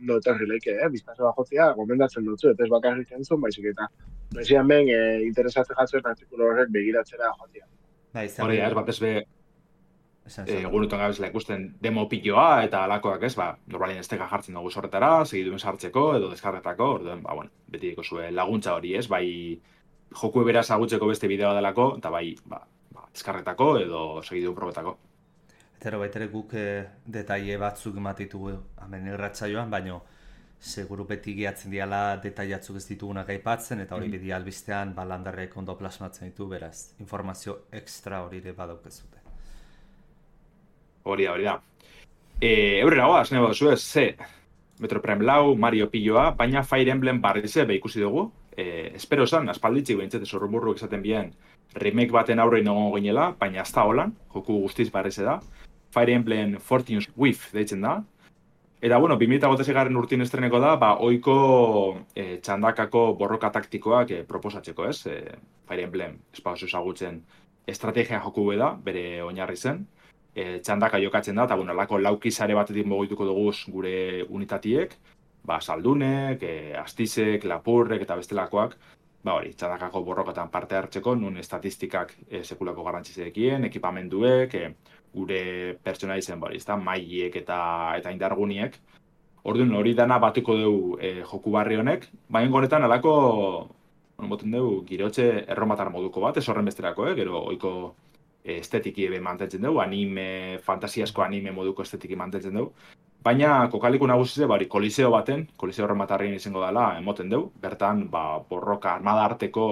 C: ondo etorri leike, eh? Biztazo bajotzea, komentatzen dutzu, eta ez bakarrik entzun, baizik eta bezian ben, e, interesatzen jatzuen artikulu horrek begiratzera jotzea.
D: Hori, ez bat ez be, egunetan gabezela ikusten demo piloa eta alakoak ez, ba, normalien esteka jartzen dugu sorretara, segiduen sartzeko edo deskarretako, orduen, ba, bueno, beti zuen laguntza hori ez, bai joku ebera zagutzeko beste bideoa delako, eta bai, ba, ba deskarretako edo segiduen probetako.
E: Eta baitere guk eh, detaile batzuk ematitugu hemen irratsaioan, baino seguru beti gehatzen diala detailatzuk ez ditugunak aipatzen, eta hori mm. beti albistean ba, landarrek ondo plasmatzen ditu, beraz, informazio extra hori ere badaukezute.
D: Hori da, hori da. E, Eurrera goaz, nahi baduzu ez, ze Metro Prime lau, Mario piloa, baina Fire Emblem barrize be ikusi dugu. E, espero esan, aspalditzik behintzete zorrumurruk esaten bien remake baten aurrein egongo ginela, baina ez da holan, joku guztiz barrize da. Fire Emblem Fortune's Wave deitzen da. Eta, bueno, bi mila hogeita urtin estreneko da, ba, oiko e, txandakako borroka taktikoak e, proposatzeko, ez? E, Fire Emblem, espagos ezagutzen, estrategia joku da, bere oinarri zen. E, txandaka jokatzen da, eta bueno, lako laukizare batetik mogituko dugu gure unitatiek, ba, saldunek, e, astizek, lapurrek eta bestelakoak, ba hori, txandakako borrokatan parte hartzeko, nun estatistikak e, sekulako garrantzizekien, ekipamenduek, e, gure pertsonaizen, ba hori, ezta, mailiek eta, eta indarguniek. Orduan hori dana batuko dugu e, joku barri honek, baina honetan alako, bueno, boten dugu, girotxe erromatar moduko bat, ez horren besterako, eh, gero oiko estetiki ebe mantentzen dugu, anime, fantasiasko anime moduko estetiki mantentzen dugu. Baina kokaliku nagusize, bari, koliseo baten, koliseo horrematarrien izango dela, emoten dugu. Bertan, ba, borroka, armada arteko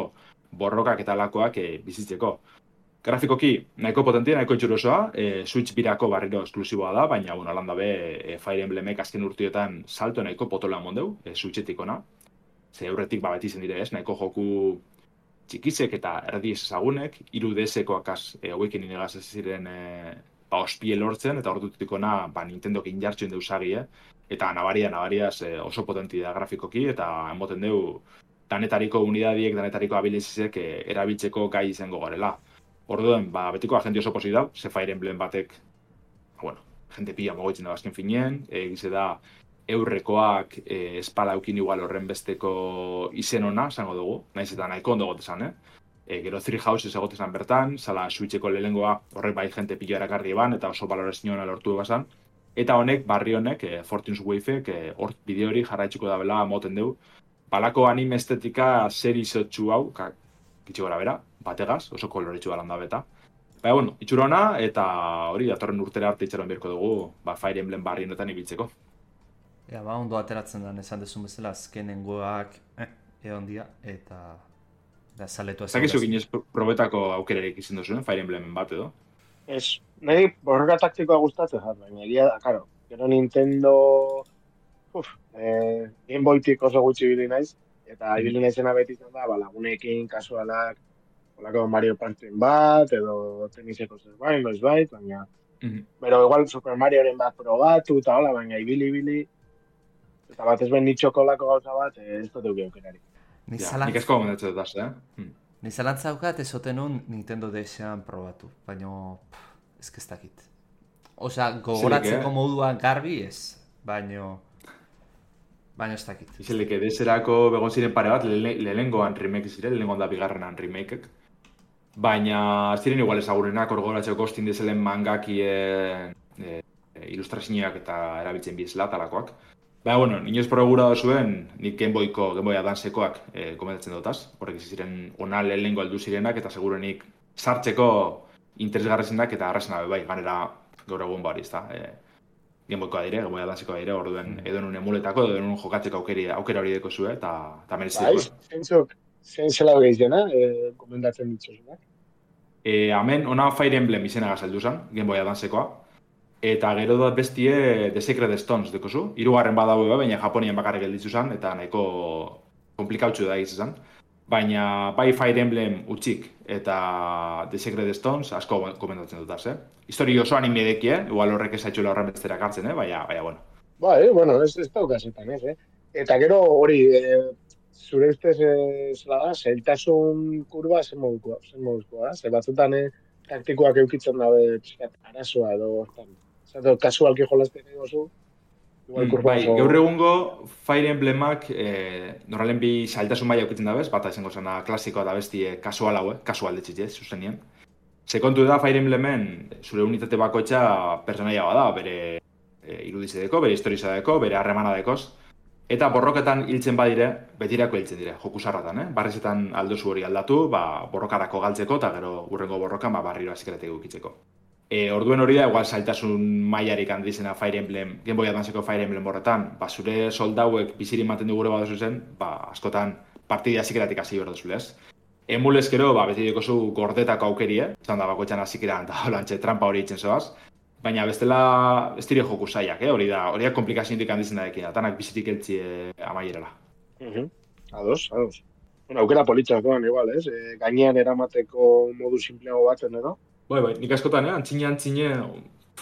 D: borrokak eta lakoak e, bizitzeko. Grafikoki, nahiko potentia, nahiko itxurosoa, e, Switch birako barriro esklusiboa da, baina, bueno, alanda be, e, Fire Emblemek azken urtiotan salto nahiko potola mondeu, e, Switchetik ona. Ze aurretik, ba, beti zen dire ez, nahiko joku txikizek eta erdi ezagunek, hiru D S-ekoak az, e, hauekin inegaz ez ziren e, ba, ospie lortzen, eta ordutik ona ba, Nintendok injartzen deusagi, eh? Eta nabaria, nabariaz e, oso potenti da grafikoki, eta emoten deu danetariko unidadiek, danetariko abilizizek e, erabiltzeko gai izango garela. Orduen, ba, betiko agenti oso posi dau, ze Fire Emblem batek, bueno, jente pila mogoitzen da azken finien, egize da, eurrekoak e, espalaukin igual horren besteko izen ona, zango dugu, nahiz eta nahiko ondo gotezan, eh? E, gero Three Houses egotezan bertan, zala Switcheko lehengoa horrek bai jente pilo erakarri eban, eta oso balorazioa lortu egazan. Eta honek, barri honek, e, Fortune's Wave-ek, e, hor bideo hori jarraitxiko da bela moten dugu. Balako anime estetika zer izotxu hau, kitxo gara bera, bategaz, oso koloretxu balan da beta. Baina, bueno, itxura ona, eta hori, datorren urtera arte itxaron birko dugu, ba, Fire Emblem barri honetan ibiltzeko.
E: Ja, ba, ondo ateratzen da, esan dezun bezala, azkenengoak eh, egon dia, eta da, saletu ez.
D: Zakizu ginez probetako aukerarek izan duzuen, Fire Emblemen bat edo?
C: Ez, nahi borroka taktikoa gustatzen jat, baina egia da, karo, gero Nintendo, uf, eh, Game Boytik oso gutxi ibili naiz, eta ibili naizena beti izan da, ba, lagunekin, kasualak, olako Mario Party bat, edo teniseko zerbait, noiz bait, baina, mm-hmm. Pero igual Super Marioren bat probatu, eta hola, baina ibili-ibili, eta bat ez ben nitxoko lako gauza bat, ez dut euki aukerari.
D: Ja, nik ezko gomendatzen dut az, eh? Hmm.
E: Ni zalantza daukat ezoten un Nintendo D S-an probatu, baina ez kestakit. Osea, gogoratzeko eh? moduan garbi ez, baina Baina ez dakit.
D: Izelek edezerako begon ziren pare bat, lehenengoan remake ziren, lehenengoan da bigarrenan remakeek. Baina ziren igual ezagurenak, orgoratzeko kostin dezelen mangakien e, e, ilustrazioak eta erabiltzen bizela talakoak. Baina, bueno, inoz progura da zuen, nik Game Boyko, Game Boy Advance-ekoak e, komentatzen dutaz. Horrek ziren ona lehenengo aldu zirenak eta segurenik sartzeko interesgarrezenak eta arrazenak bai, ganera gaur egun bari, ez da. E, Game Boykoa dire, Game Boy Advance-ekoa dire, orduen edo nun emuletako, edo nun jokatzeko aukera, aukera hori deko zuen, eta, eta mereziko.
C: Bai, zentzuk, zein zela hori izena, e, komentatzen ditzuzunak.
D: E, hemen, ona Fire Emblem izena gazaldu zen, Game Boy Advance-ekoa. Eta gero da bestie The Sacred Stones dekozu. Hirugarren badago, baina Japonian bakarrik gelditzu zen, eta nahiko komplikautxu da izan. Baina bai Fire Emblem utxik eta The Sacred Stones asko komentatzen dutaz, eh? Histori oso anime deki, eh? Igual horrek esaitxuela horren besterak hartzen, eh? Baina, baina, bueno.
C: Ba, eh? Bueno, ez, ez daukazetan, ez, eh? Eta gero hori, e, zure ustez e, zela da, zailtasun kurba zen modukoa, zen modukoa, da? Zer batzutan, eh, taktikoak eukitzen dabe pixkat arazoa edo, zato, kasualki jolazten egozu, igual kurba
D: bai, oso... Gaur egungo Fire Emblemak eh, normalen bi zailtasun maila eukitzen dabez, bata izango zena klasikoa da besti eh, kasual hau, eh? Kasual detxitez, zuzenien. Sekontu da Fire Emblemen zure unitate bakoitza personaia bada, bere e, irudizedeko, bere historizadeko, bere harremana dekoz. Eta borroketan hiltzen badire, betirako hiltzen dire, jokusarratan, eh? Barrezetan aldozu hori aldatu, ba, borrokarako galtzeko, eta gero urrengo borrokan ba, barriro azikeratek ukitzeko. E, orduen hori da, igual zailtasun mailarik handizena Fire Emblem, Game Boy Advanceko Fire Emblem horretan, ba, zure soldauek bizirin maten dugure badozu zen, ba, askotan partida azikeratik hasi berdozu lez. Emulezkero, ba, beti dekozu gordetako aukerie, zan da bakoitzan azikeran eta holantxe trampa hori itzen zoaz. Baina bestela ez dire joku zaiak, eh? Hori da, hori da komplikazioetik handizena dekin, tanak bizitik eltzi eh, amaierela.
C: Uh-huh. Ados, ados. Bueno, aukera politxak doan igual, ez? E, gainean eramateko modu simpleago batzen, edo?
D: Bai, bai, nik askotan, eh? Antzine, antzine,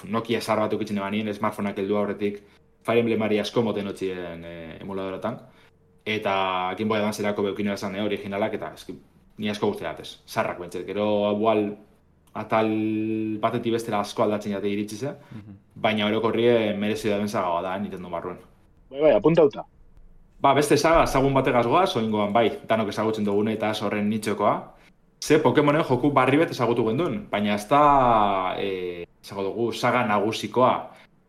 D: Nokia zar bat ukitzen ebanien, smartphoneak heldu aurretik, Fire Emblemari asko moten otzien eh, emuladoratan. Eta Game Boy Advance-erako beukin erazan eh, originalak, eta eski, ni asko guztiatez, zarrak bentzet. Gero, igual, atal batetik bestera asko aldatzen jate iritsi ze, mm-hmm. Baina orokorrie merezi da benzaga da, Nintendo barruen.
C: Bai, bai, apuntauta.
D: Ba, beste saga, ezagun bategaz goaz, oingoan bai, danok ezagutzen dugune eta horren nitxokoa. Ze Pokemonen joku barri bet ezagutu gendun, baina ez da, e, ezago dugu, saga nagusikoa.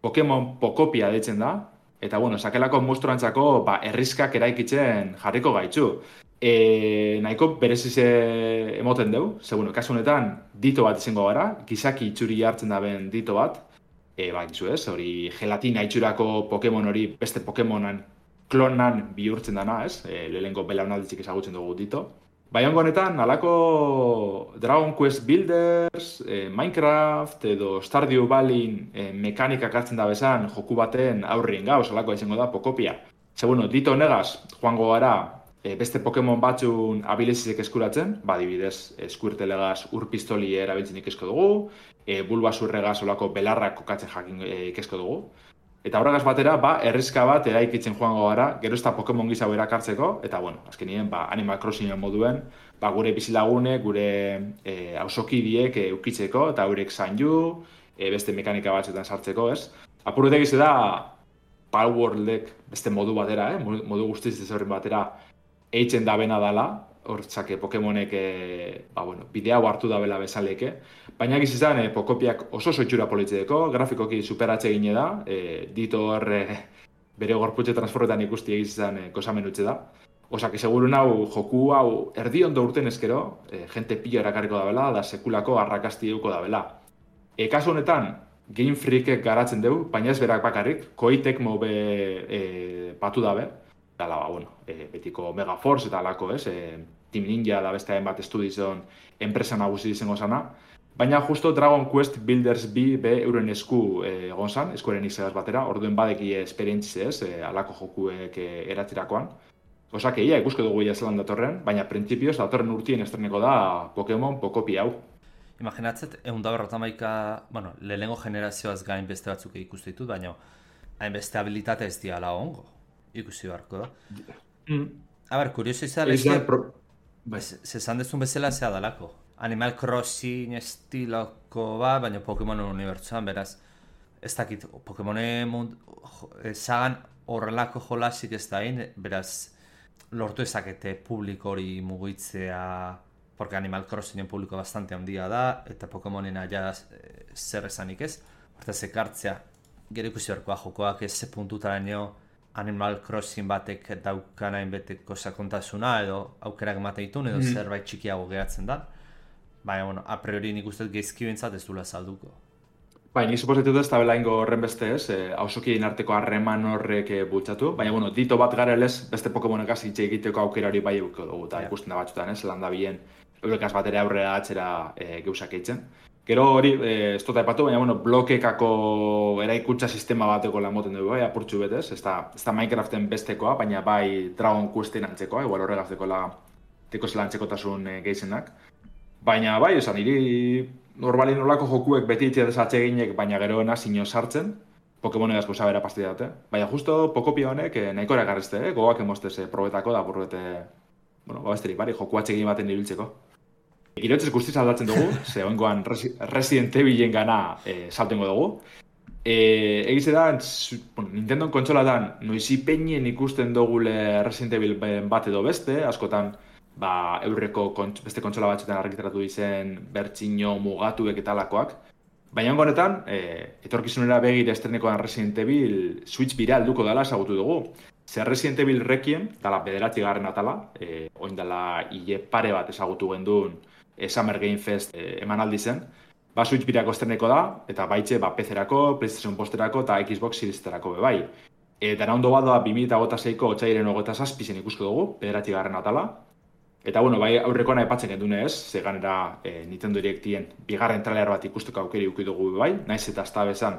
D: Pokemon Pokopia deitzen da, eta bueno, sakelako monstruantzako ba, errizkak eraikitzen jarriko gaitzu. E, nahiko berezize emoten dugu, ze bueno, kasu honetan dito bat izango gara, gizaki itxuri hartzen daben dito bat, e, ba, gizu ez, hori gelatina itxurako Pokemon hori beste Pokemonan klonan bihurtzen dana, ez, e, lehenko belaunalditzik ezagutzen dugu dito. Baiongo honetan, alako Dragon Quest Builders, e, Minecraft edo Stardew Valley e, mekanikak hartzen da bezan joku baten aurrien gauz, alako izango da Pokopia. Ze bueno, dito negaz, joango gara, E, beste Pokemon batzun abilizizek eskuratzen, ba, dibidez, eskuirtelegaz urpistoli erabiltzen ikesko dugu, e, bulbasurregaz olako belarrak kokatzen jakin e, ikesko dugu. Eta horregaz batera, ba, errizka bat eraikitzen joango gara, gero ez da Pokemon gizau erakartzeko, eta, bueno, azkenien, ba, Animal Crossingen moduen, ba, gure bizilagune, gure e, ausokidiek e, ukitzeko, eta eurek zaindu, e, beste mekanika batzuetan sartzeko, ez? Apurutek ize da, Palworldek beste modu batera, eh? modu guztiz ez horren batera, eitzen da bena dala, hortzake Pokemonek e, ba, bueno, bidea hartu da bela bezaleke. Baina egiz izan, e, Pokopiak oso soitxura politzeko, grafikoki superatxe gine da, e, dito hor e, bere gorputxe transforretan ikusti egiz izan e, kosamen utxe da. Osake, segurun hau, joku hau erdi ondo urten ezkero, e, jente pilo erakarriko da bela, da sekulako arrakasti euko da bela. E, kasu honetan, Game Freakek garatzen dugu, baina ez berak bakarrik, Koeitek mobe e, batu dabe, Dala, ba, bueno, e, betiko Megaforce eta alako, ez? E, Team Ninja da beste bat estudizon enpresa nagusi izango zana. Baina justo Dragon Quest Builders bi be euren esku e, egon zan, eskuaren izagaz batera, orduen badeki esperientzize ez, e, alako jokuek e, eratzirakoan. Osak, ia ikusko dugu ia zelan datorren, baina printzipioz datorren urtien estreneko da Pokemon Pokopia hau.
E: Imaginatzet, egun da berrotamaika, bueno, lehenengo generazioaz gain beste batzuk ikustu ditut, baina hainbeste habilitate ez diala ongo. Ikusi beharko da. Mm. A ber, kurioso izan, eske, pro... zezan dezun bezala zea dalako. Animal Crossing estiloko ba, baina Pokemonen unibertsuan, beraz, ez dakit, Pokemonen mund, sagan horrelako jolasik ez da hain, beraz, lortu ezakete publiko hori mugitzea, porque Animal Crossingen publiko bastante handia da, eta Pokemonena ja e, zer esanik ez, hortaz ekartzea, gero ikusi berkoa jokoak ez ze puntutaraino Animal Crossing batek daukan hainbeteko sakontasuna, edo aukerak emateitun, edo mm. zerbait txikiago geratzen da. Baina, bueno, a priori nik uste geizki bintzat ez dula salduko.
D: Bai, nik suposetu ez, tabela ingo horren beste ez, e, hausokien arteko harreman horrek e, bultzatu, baina, bueno, dito bat garelez, beste Pokemonekaz hitz egiteko aukera hori bai euko dugu, eta yeah. ikusten da batzutan ez, landa bien, eurekaz batera aurrera atzera e, geusak eitzen. Gero hori, e, ez dut aipatu, baina, bueno, blokekako eraikuntza sistema bateko lan moten dugu, bai, apurtxu betez, ez da, ez da Minecraften bestekoa, baina bai Dragon Questen antzekoa, igual horregaz dekola, teko zela antzekotasun e, geizenak. Baina bai, esan, hiri normalin olako jokuek beti itxea desatxe eginek, baina geroena sino sartzen, Pokemonegaz goza bera pasti dute. Baina justo Pokopia honek eh, nahiko erakarrizte, eh? Gogoak emostez eh, probetako da, burbete, bueno, babesterik bari, joku atxegin baten ibiltzeko. Girotzez guztiz aldatzen dugu, ze oingoan Resident Evilen gana eh, saltengo dugu. Eh, egize da, bueno, Nintendo kontsolatan noizi peinen ikusten dugule Resident Evil bat edo beste, askotan, ba, eurreko kontx, beste kontsola batxetan argitaratu dizen bertxino mugatuek eta alakoak. Baina honetan, e, etorkizunera begir estrenekoan Resident Evil Switch bira alduko dela esagutu dugu. Zer Resident Evil Requiem, dala bederatzi garren atala, e, oin dela hile pare bat esagutu gendun e, Summer Game Fest e, emanaldi zen. Ba, Switch birako estreneko da, eta baitxe ba, P C-erako, PlayStation posterako eta Xbox Series-erako bebai. Eta ondo bat da bi mila hogeita seiko otsaiaren hogeita zazpizen ikusko dugu, bederatzi garren atala. Eta, bueno, bai, aurrekoan aipatzen gendune ez, ze ganera e, Nintendo Directien bigarren trailer bat ikusteko aukeri uki dugu bai, naiz eta azta bezan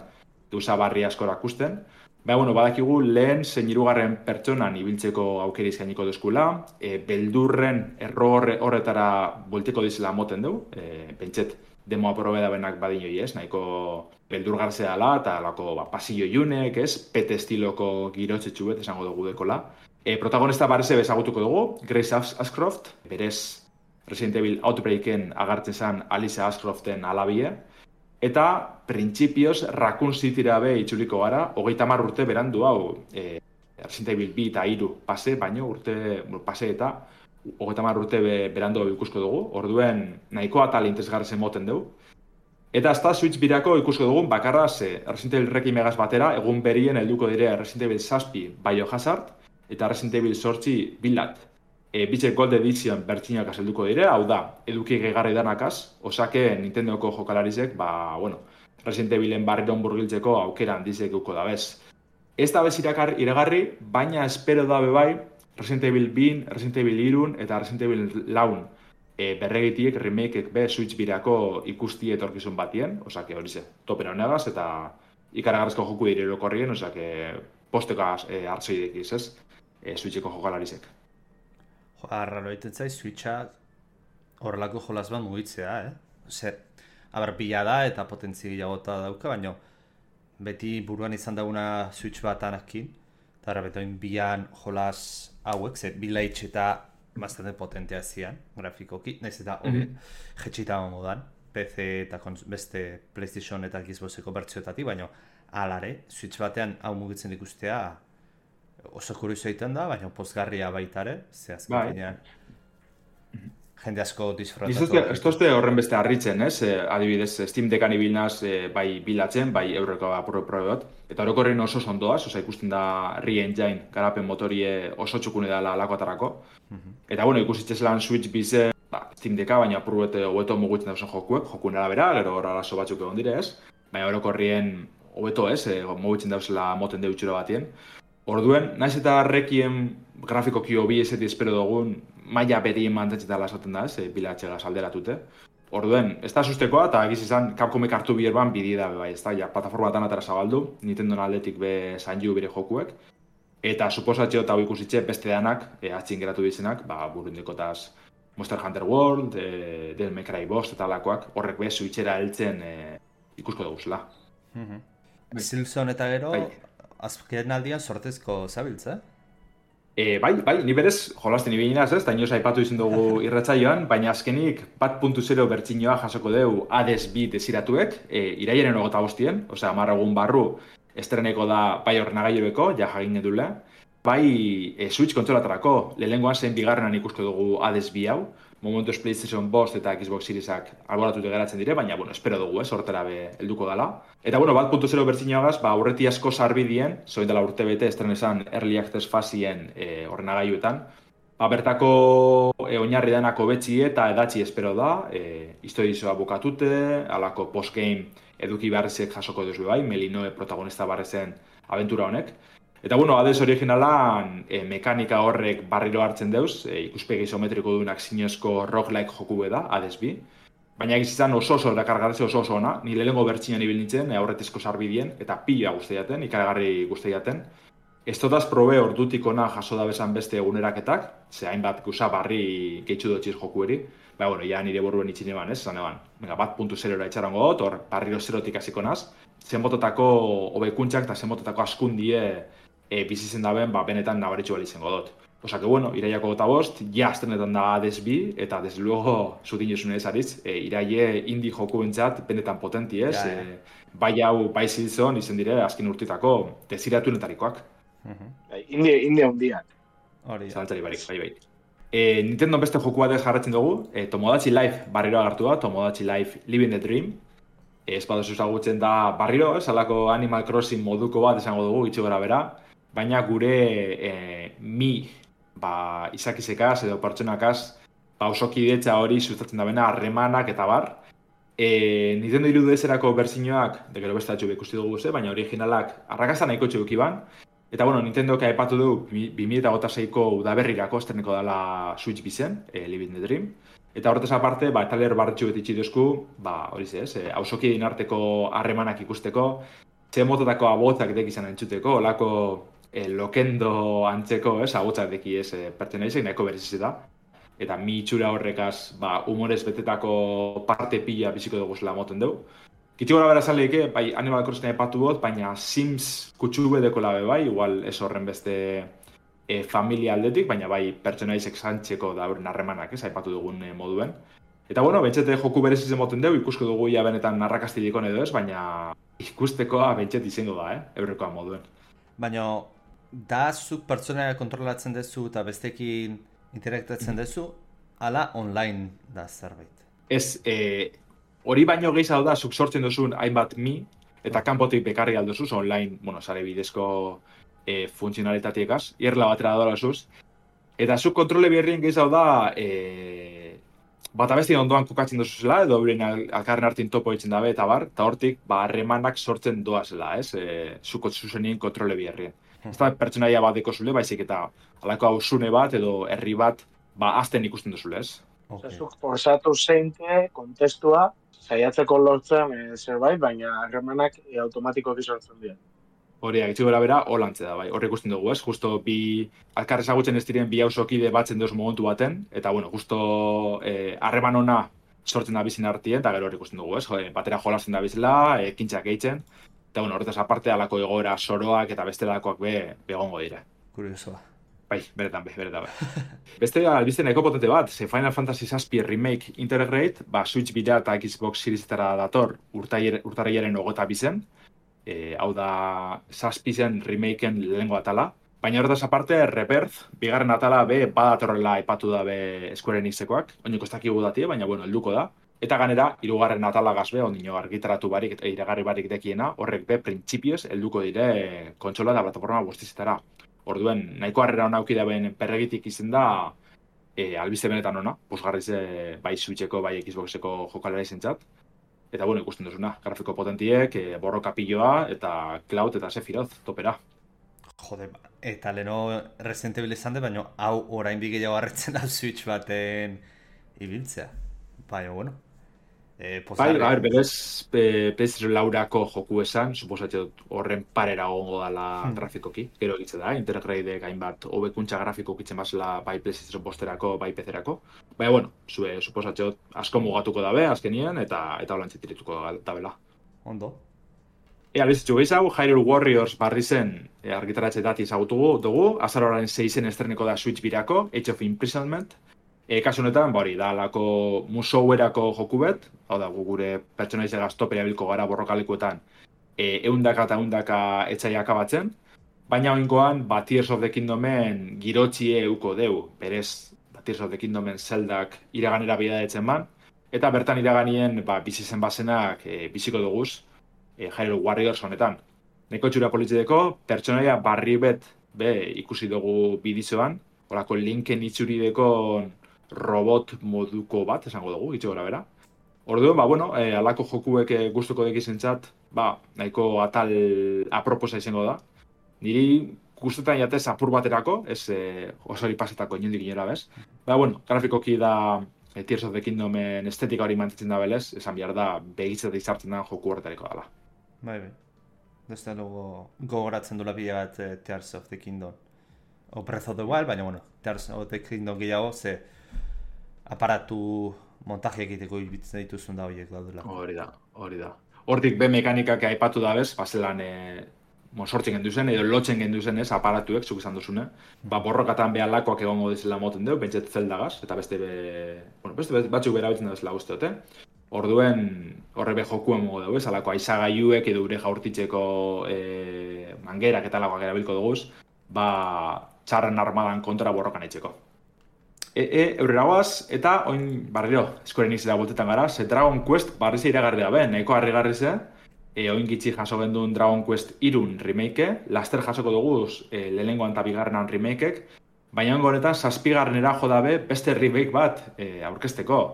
D: gauza barri askora ikusten. Baina, bueno, badakigu lehen zein hirugarren pertsonan ibiltzeko aukeri izkainiko duzkula, e, beldurren erro horretara bolteko dizela moten dugu, e, pentset demoa probeda benak badinoi ez, nahiko beldurgarzea dela, eta lako ba, pasillo junek ez, pete estiloko girotxetxu bet esango dugu dekola. E, protagonista barreze bezagutuko dugu, Grace Ashcroft, berez Resident Evil Outbreaken agartzen zen Alice Ashcroften alabie, eta printzipioz Raccoon Cityra be itzuliko gara, hogeita hamar urte berandu hau, e, Resident Evil bi eta hiru pase, baino urte pase eta hogeita hamar urte be, berandu ikusko dugu, orduen nahiko atal interesgarrezen moten dugu. Eta azta Switch birako ikusko dugun bakarra ze Resident Evil Requiem egaz batera, egun berien helduko dire Resident Evil zazpi Biohazard, eta Resident Evil zortzi bilat. E, Bitxe Gold Edition bertxinak azelduko dire, hau da, eduki gegarri danakaz, osake Nintendoko jokalarizek, ba, bueno, Resident Evilen barriron burgiltzeko aukera handizek euko da bez. Ez da bez irakar, iragarri, baina espero da bebai Resident Evil bin, Resident Evil irun eta Resident Evil laun e, berregitiek, remakeek be Switch birako ikusti etorkizun batien, osake hori ze, topera honegaz, eta ikaragarrizko joku dire erokorrien, osake postekaz e, hartzoidek iz, ez? E, Switcheko jokalarizek.
E: Jo, arraro egiten zai, Switcha horrelako jolaz bat mugitzea, eh? Zer, aber, bila da eta potentzi gehiagota dauka, baina beti buruan izan daguna Switch bat anakin, eta ara betoin bilan jolaz hauek, ze bila itx eta bastante potentea zian, grafikoki, nahiz eta hori mm-hmm. jetxita modan, P C eta beste PlayStation eta Xboxeko bertzioetatik, baina alare, Switch batean hau mugitzen ikustea oso kurioso egiten da, baina pozgarria baitare, ze azken bai. Jende asko disfrutatu.
D: Ez tozte horren beste harritzen, ez? E, adibidez, Steam Deckan ibilnaz e, bai bilatzen, bai eurreko apro-probeot. Eta orokorren oso sondoaz, oza ikusten da Re-Engine, garapen motorie oso txukune dela lakoatarako. Uh-huh. Eta, bueno, ikusitzez lan Switch bize, ba, Steam Decka, baina apurruete hobeto mugitzen dauzen jokuek, jokunera bera, gero hor arazo batzuk egon dire, ez? Baina orokorrien hobeto ez, e, mugitzen dauzela moten deutxura batien. Orduen, naiz eta Requiem grafikoki hobi ezeti espero dugun, maila berien mantentzetala esaten da, ez, e, bilatxegaz alderatute. Orduen, ez da sustekoa, eta egiz izan Capcomek hartu bierban bidi da, bai, ez da, ja, plataformatan atara zabaldu, Nintendo aldetik be Sanju bere jokuek, eta suposatxeo eta hau ikusitxe beste danak, e, atxin geratu dizenak, ba, burundikotaz Monster Hunter World, e, Devil May Cry bost eta alakoak, horrek be, Switchera heltzen e, ikusko duguzela.
E: Mm-hmm. Silson eta gero, bai. Azken aldian sortezko zabiltza?
D: E, bai, bai, ni berez jolasten ibilinaz ez, eta inoz aipatu izan dugu irratsaioan, baina azkenik bat puntu zero bertxinoa jasoko deu Hades bi desiratuek, e, iraiaren ogota bostien, osea, hamar egun barru estreneko da bai ordenagailueko, ja jagin edule, bai e, Switch kontsolatarako, lehengoan zen bigarrenan ikusko dugu Hades bi hau, momentuz PlayStation bost eta Xbox Seriesak alboratute geratzen dire, baina, bueno, espero dugu, ez, hortera be helduko dela. Eta, bueno, bat puntu zero bertzinagaz, ba, aurreti asko sarbidien, zoin dela urte bete, estrenesan Early Access fazien e, ordenagailuetan, ba, bertako e, oinarri denako betxi eta edatzi espero da, e, historizoa bukatute, alako postgame eduki beharrezek jasoko duzu bai, Melinoe protagonista barrezen abentura honek. Eta, bueno, Hades originalan e, mekanika horrek barriro hartzen deuz, e, ikuspegi isometriko duenak zinezko roguelike joku da, Hades bi. Baina egizizan oso oso, erakargarretze oso oso ona, ni lehengo bertxinan ibil nintzen, e, aurretizko sarbidien, eta pila guztiaten, ikaragarri guztiaten. Ez totaz probe ordutik ona jaso da bezan beste eguneraketak, ze hainbat guza barri gehitxu dutxiz joku eri. Ba, bueno, ja nire borruen itxin eban, ez? Zan eban, venga, bat puntu zerora itxarango dut, hor barriro zerotik hasiko naz, zenbototako hobekuntzak eta zenbototako askundie e, bizitzen daben, ba, benetan nabaritxu balizengo dut. Osa que, bueno, iraiako gota bost, ja aztenetan da Hades bi, eta desde luego zutin josune ez ariz, e, iraie indie joku bentsat benetan potenti ez, ja, ja. E, bai hau, bai zilzon, izen dire, azken urtitako, desiratu netarikoak.
C: Uh-huh. Indie, indie hundiak.
D: Hori. Zalantzari barik, bai, bai. E, Nintendo beste joku bat jarratzen dugu, e, Tomodachi Life barriro agartu da, Tomodachi Life Living the Dream. E, ez badoz ezagutzen da barriro, ez alako Animal Crossing moduko bat esango dugu, itxu gara bera, baina gure e, mi ba, izakizekaz edo pertsonakaz ba, osoki detza hori sustatzen da bena, harremanak eta bar. E, Nintendo irudezerako berzinoak, de gero beste atxu ikusti dugu ze, baina originalak arrakazan nahiko txubuk iban. Eta, bueno, Nintendo ka epatu du bi mila hogeita seiko udaberrirako estreneko dela Switch bizen, e, Living the Dream. Eta horretaz aparte, ba, taler barretxu beti txiduzku, ba, hori ze, ez, e, hausokien arteko harremanak ikusteko, ze mototako abotzak dek izan entzuteko, olako e, lokendo antzeko, ez, abotzak deki ez, e, pertenaizek, nahiko bereziz da. Eta mi itxura horrekaz, ba, humorez betetako parte pila biziko dugu zela moten dugu. Kitxo gara bera zaleike, bai, Animal Crossing epatu bot, baina Sims kutsu bedeko labe bai, igual ez horren beste e, familia aldetik, baina bai pertsonaizek zantzeko da horren harremanak, ez, aipatu dugun e, moduen. Eta, bueno, bentsete joku berezizen moten dugu, ikusko dugu ja benetan narrakastiliko edo ez, baina ikustekoa bentsete izango da, eh, eurrekoa moduen.
E: Baina, da zuk pertsona kontrolatzen duzu eta bestekin interaktatzen duzu, ala online da zerbait?
D: Ez, e, hori baino gehiago da, zuk sortzen duzun hainbat mi, eta kanpotik bekarri aldozuz, online, bueno, sare bidezko e, funtzionalitatiekaz, irla batera dolazuz, eta zuk kontrole berrien gehiago da, e, bat abesti ondoan kokatzen duzuzela, edo euren alkarren hartin topo ditzen dabe, eta bar, eta hortik, ba, harremanak sortzen doazela, ez, e, zuko zuzenien kontrole berrien. Ez da pertsonaia bat deko zule, baizik eta alako hausune bat, edo herri bat, ba, azten ikusten duzule, ez?
C: Okay. Zuk forzatu zeinte, kontestua, saiatzeko lortzen e, zerbait, baina harremanak e, automatikoki sortzen dira.
D: Hori, agitxiko gara bera, holantze da, bai, horre ikusten dugu, ez? Justo bi alkar ezagutzen ez diren bi hausokide batzen duz momentu baten, eta, bueno, justo harreman e, ona sortzen da bizin artien, eta gero horre ikusten dugu, ez? Jode, batera jolasten da bizela, e, kintxak eitzen, eta, bueno, horretaz aparte, alako egoera soroak eta beste lakoak be, begongo dira.
E: Kuriosoa.
D: Bai, beretan be, beretan be. Beste albizte nahiko potente bat, ze Final Fantasy zazpi Remake Integrate, ba, Switch bidea eta Xbox Seriesetara dator urtarriaren ogota bizen, e, hau da zazpi zen remakeen lehengo atala, baina horretaz aparte, Rebirth, bigarren atala be, badatorrela epatu da be Square Enixekoak, oineko ez dakigu datie, baina, bueno, helduko da. Eta ganera, hirugarren atala gazbe, ondino argitaratu barik eta iragarri barik dekiena, horrek be, printzipioz, helduko dire kontsola eta plataforma guztizetara. Orduen, nahiko harrera hona auki daben perregitik izen da, e, albizte benetan ona, posgarriz e, bai Switcheko, bai Xboxeko jokalera izentzat. Eta, bueno, ikusten duzuna, grafiko potentiek, e, borroka piloa, eta Cloud eta Sephiroth, topera.
E: Jode, eta leno Resident Evil izan de, baina hau orain bigeiago harretzen da Switch baten ibiltzea. Baina, bueno. E,
D: bai, a ber, berez, P S laurako joku esan, suposatxe horren parera gongo dala hmm. grafikoki, gero egitze da, Intergrade hainbat hobekuntza grafiko kitzen bazela bai PlayStation posterako, bai P C-erako. Baina, bueno, zue, suposatxe asko mugatuko dabe, azkenien, eta eta holantzi tirituko dabela.
E: Ondo.
D: E, albizitxu gehiago, Hyrule Warriors barri zen e, argitaratxe dati ezagutu dugu, azaroaren seizen estreneko da Switch birako, Age of Imprisonment. E, kasu honetan, bori, da alako musouerako joku bet, hau da, gure pertsonaize gaztopera bilko gara borrokalekuetan, e, eundaka eta eundaka etxai akabatzen, baina oingoan, ba, Tears of the Kingdomen girotxie euko deu, berez, ba, Tears of the Kingdomen zeldak iraganera bidadetzen ban, eta bertan iraganien, ba, bizi zen basenak e, biziko duguz, e, Hyrule Warriors honetan. Neko txura politxedeko, pertsonaia barri bet, be, ikusi dugu bidizoan, horako linken itxurideko robot moduko bat, esango dugu, itxo gara bera. Orduan, ba, bueno, e, alako jokuek e, gustuko dekizentzat, ba, nahiko atal aproposa izango da. Niri gustutan jatez apur baterako, ez e, osori pasetako inondik inora, bez? Ba, bueno, grafikoki da e, Tears of the Kingdomen estetika hori mantetzen da belez, esan behar da, begitzat izartzen da joku horretariko dela.
E: Bai, bai. Desde luego, gogoratzen dula bila bat eh, Tears of the Kingdom. O Breath of the Wild, baina, bueno, Tears of the Kingdom gehiago, ze aparatu montaje egiteko ibitzen dituzun da horiek daudela.
D: Hori da, hori da. Hortik be mekanikak aipatu da bez, bazelan e, sortzen gendu zen, edo lotzen gendu zen ez, aparatuek, zuk izan duzune. Ba, borrokatan behalakoak egongo dizela moten deu, pentset zeldagaz, eta beste be, bueno, beste batzuk berabitzen da bezala usteote. Orduen, horre be jokuen mogo dugu, ez, alako aizagaiuek edo ure jaurtitzeko e, mangerak eta alakoak erabilko duguz, ba, txarren armadan kontra borrokan etxeko. E, e, eurrera guaz, eta oin barriro, Square Enixera bultetan gara, ze Dragon Quest barrize iragarri da be, nahiko harrigarri ze, e, oin gitxi jaso gendun Dragon Quest irun remake, laster jasoko duguz e, lehenengoan eta bigarrenan remakeek, baina ongo honetan zazpigarrenera jo dabe beste remake bat e, aurkezteko.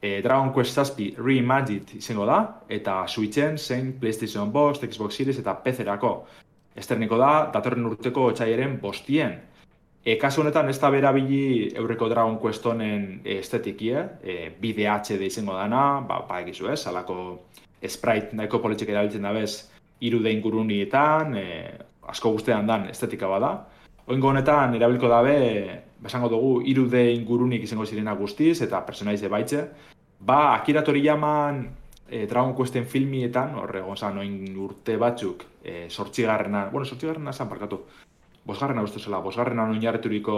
D: E, Dragon Quest zazpi Reimagined izango da, eta Switchen, zein PlayStation Box, Xbox Series eta P C-erako. Esterniko da, datorren urteko otxaiaren bostien. E, kasu honetan ez da berabili eurreko Dragon Quest honen estetikie, e, bi D H D izango dana, ba, ba egizu ez, alako sprite nahiko politxek erabiltzen da bez, irude ingurunietan, e, asko guztean dan estetika bada. Oingo honetan erabilko dabe, esango dugu, irude ingurunik izango zirena guztiz, eta personaize baitze. Ba, Akira Toriyaman e, Dragon Questen filmietan, horre gonzan, oin urte batzuk, e, sortzigarrena, bueno, sortzigarrena esan parkatu, bosgarrena uste zela, bosgarrena oinarreturiko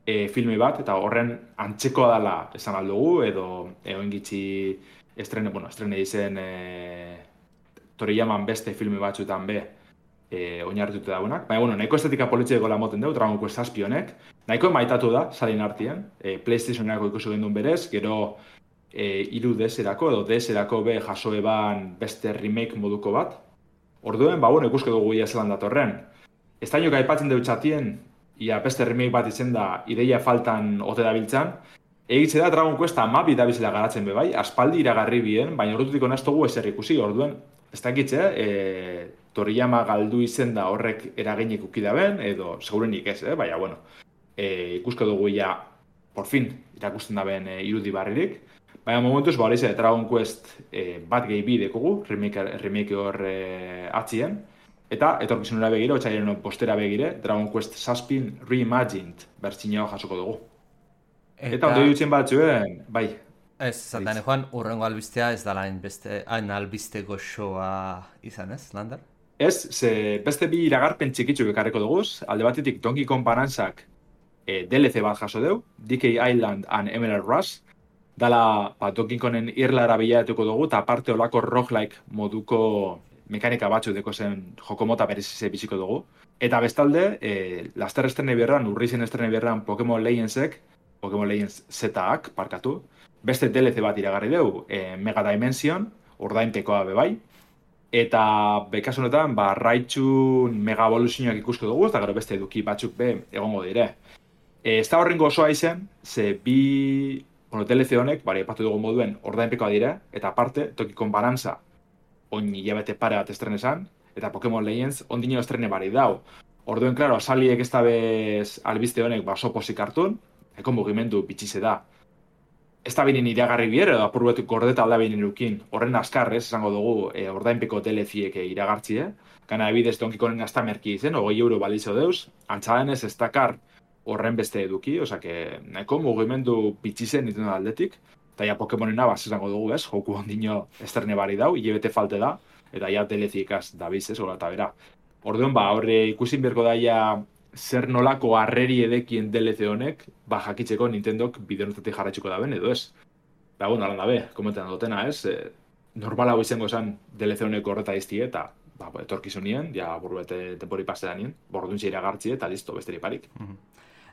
D: e, filme bat, eta horren antzekoa dela esan aldugu, edo e, oin gitxi estrene, bueno, estrene izen e, Toriyaman beste filme batzuetan be, e, oinarritute daunak. Baina, bueno, nahiko estetika politxeko la moten dugu, Dragon Quest zazpi honek. Nahiko maitatu da, salin artien. E, PlayStationerako ikusi gendun berez, gero e, iru D S-erako edo D S-erako be jaso eban beste remake moduko bat. Orduen, ba, bueno, ikuske dugu ia zelan datorren. Ez da inoka aipatzen dut txatien, ia beste remake bat izen da, ideia faltan ote dabiltzan. Egitze da Dragon Quest amabi dabizela garatzen be bai, aspaldi iragarri bien, baina horretutik onaztugu ezer ikusi, orduen. Ez da egitze, e, Toriyama galdu izen da horrek eraginek ukidaben, edo segurenik ez, eh? Baina, bueno, e, ikusko dugu ja, por fin, irakusten daben e, irudi barririk. Baina, momentuz, ba, hori ze, Dragon Quest e, bat gehi bidekugu, remake, remake hor e, atzien, eta etorkizunera begire, otxairen postera begire, Dragon Quest zazpin Reimagined bertsineo jasoko dugu. Eta, eta ondo dutzen batzuen, bai.
E: Ez, zatan joan, urrengo albistea ez da lain beste, hain albiste goxoa izan ez, Lander?
D: Ez, ze beste bi iragarpen txikitzuk ekarreko duguz, alde batetik Donkey Kong Bonanzak e, D L C bat jaso deu, D K Island and Emerald Rush, dala ba, Donkey Kongen irlara bilatuko dugu, eta aparte olako roguelike moduko mekanika batzu deko zen jokomota berezize biziko dugu. Eta bestalde, e, laster estrene berran, urri zen estrene berran Pokemon Legendsek, Pokemon Legends Z-ak, parkatu, beste D L C bat iragarri deu, e, Mega Dimension, ordainpekoa bebai, eta bekasu honetan, ba, Raichun Mega Evolutionak ikusko dugu, eta gero beste eduki batzuk be egongo dire. E, ez da horrengo osoa izen, ze bi bueno, D L C honek, bari epatu dugu moduen, ordainpekoa dire, eta aparte, Donkey Kong Bonanza, oin hilabete pare bat estrene esan, eta Pokemon Legends ondino estrene bari dau. Orduen, klaro, asaliek ez da bez albiste honek baso posik hartun, eko mugimendu bitxize da. Ez da binen iragarri bier, edo apur betu gordeta alda binen irukin. Horren askarrez, esango dugu, e, ordainpeko D L C-ek iragartzie. Gana ebidez Donkey Kongen gazta merki izen, hogei euro balizo deuz. Antzadenez ez dakar horren beste eduki, oza, que nahiko mugimendu bitxizen dituen aldetik. Eta ja Pokemonena, bas, esango dugu, ez, joku ondino estrene bari dau, hilabete falte da, eta ja D L C-ekaz dabiz, ez, hola eta bera. Orduan, ba, horre ikusin berko daia zer nolako harreri edekien D L C honek, ba, jakitzeko Nintendok bideonotatik jarraitzuko daben, edo ez. Ba, bueno, alan dabe, komentan dutena, ez, e, normal hau izango esan D L C honek horreta iztie, eta ba, etorkizunien, ja burbete tempori paseranien, borduntxe iragartzi eta listo, besteri parik.
E: Mm-hmm.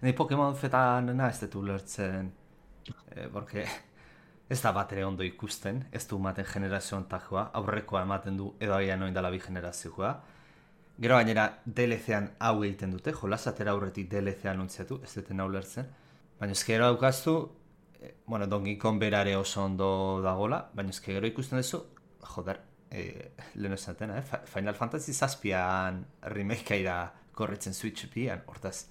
E: Ni Pokemon fetan ez dut ulertzen, eh, porque ez da bat ere ondo ikusten, ez du ematen generazio ontakoa, aurrekoa ematen du edo agian noin dala bi generazioa. Gero gainera D L C-an hau egiten dute, jolasatera aurretik D L C-an ontziatu, ez duten ulertzen. Baina ez gero daukaztu, eh, bueno, Donkey Kong berare oso ondo dagola, baina ez gero ikusten duzu, joder, eh, lehen esatena, eh? Final Fantasy zazpian remakea ira korretzen Switch pian, hortaz.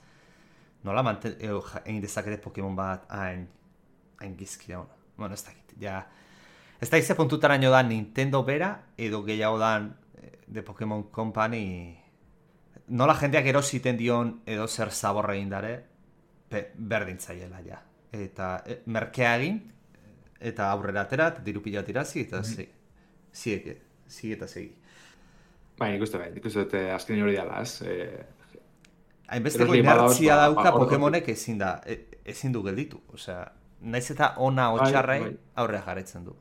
E: Nola manten, egin dezakete Pokemon bat hain, hain gizki da, bueno, ez dakit, ja. Ez da ize puntutaraino da Nintendo bera, edo gehiago dan The Pokemon Company, nola jendeak erositen dion edo zer zaborra egin dare, berdintzaiela, ja. Eta e, merkea egin, eta aurrera aterat, diru pila tirazi, eta mm-hmm. zi, zi eta segi.
D: Bai, nik uste bai, nik uste dut azken hori dela, ez? E,
E: Hainbesteko inertzia ba, dauka ba, Pokemonek ezin da, ezin du gelditu, osea, naiz eta ona otxarrai bai, bai. aurrea jarretzen du.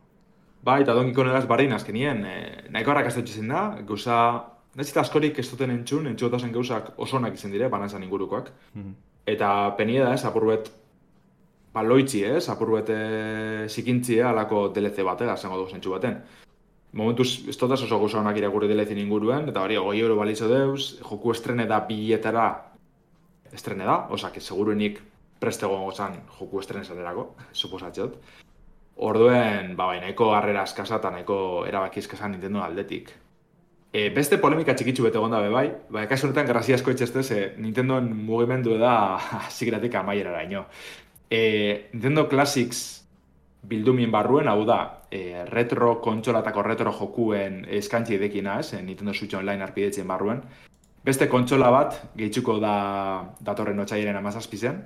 D: Bai, eta Donkey Kongegaz barrein azkenien, eh, nahiko harrak aztetxezen da, gauza, naiz eta askorik ez duten entzun, entzugotazen gauzak osonak izen dire, banazan ingurukoak. Mm-hmm. Eta penie da, ez, apurbet, ba, loitzi, ez, apurbet zikintzia alako D L C batera, zango dugu zentsu baten. Momentuz, ez dutaz oso gauza honak irakurri D L C inguruen, eta bari, goi euro balizo deuz, joku estrene da biletara, estrene da, osak, seguruenik prestego gozan joku estrene zaterako, suposatxot. Orduen, ba, bai, nahiko harrera eskasa eta nahiko erabaki eskasa Nintendo aldetik. E, beste polemika txikitsu bete gonda be bai, ba, kasu honetan grazia asko etxestez, e, Nintendoen mugimendu da zikiratik amaierara ino. E, Nintendo Classics bildumien barruen, hau da, e, retro kontsolatako retro jokuen eskantzi edekina, ez, e, Nintendo Switch Online arpidetzen barruen. Beste kontsola bat, gehitzuko da datorren otxaiaren amazazpizen.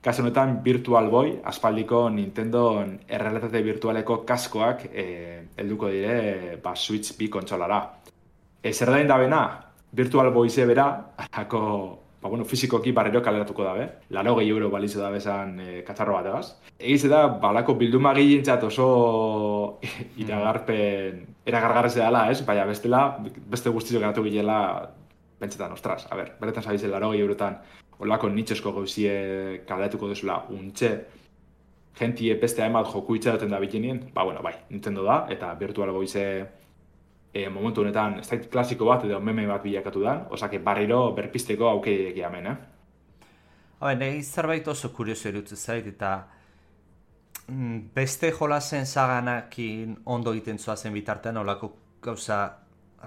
D: Kasu honetan Virtual Boy, aspaldiko Nintendo errealitate virtualeko kaskoak eh, helduko dire ba, Switch bi kontsolara. E, zer dain da bena, Virtual Boy ze bera, alako, ba, bueno, fizikoki barrero kaleratuko dabe, laro gehi euro balizo dabe esan e, katzarro bat egaz. Egiz da, balako bilduma gehientzat oso iragarpen, eragargarrez dela, ez? Baina bestela, beste guztizo geratu gilela, bentsetan, ostras, a ber, beretan zabizen laro gehi eurotan, olako nitxesko gauzie kaleatuko duzula untxe, gentie beste hainbat joku itxaroten da bikinien, ba, bueno, bai, Nintendo da, eta Virtual Boyze e, momentu honetan ez da klasiko bat edo meme bat bilakatu da, osake barriro berpisteko aukeideek hemen, eh?
E: Habe, nahi zerbait oso kurioso erutze zait, eta beste jolasen zaganakin ondo egiten zuazen bitartean, olako gauza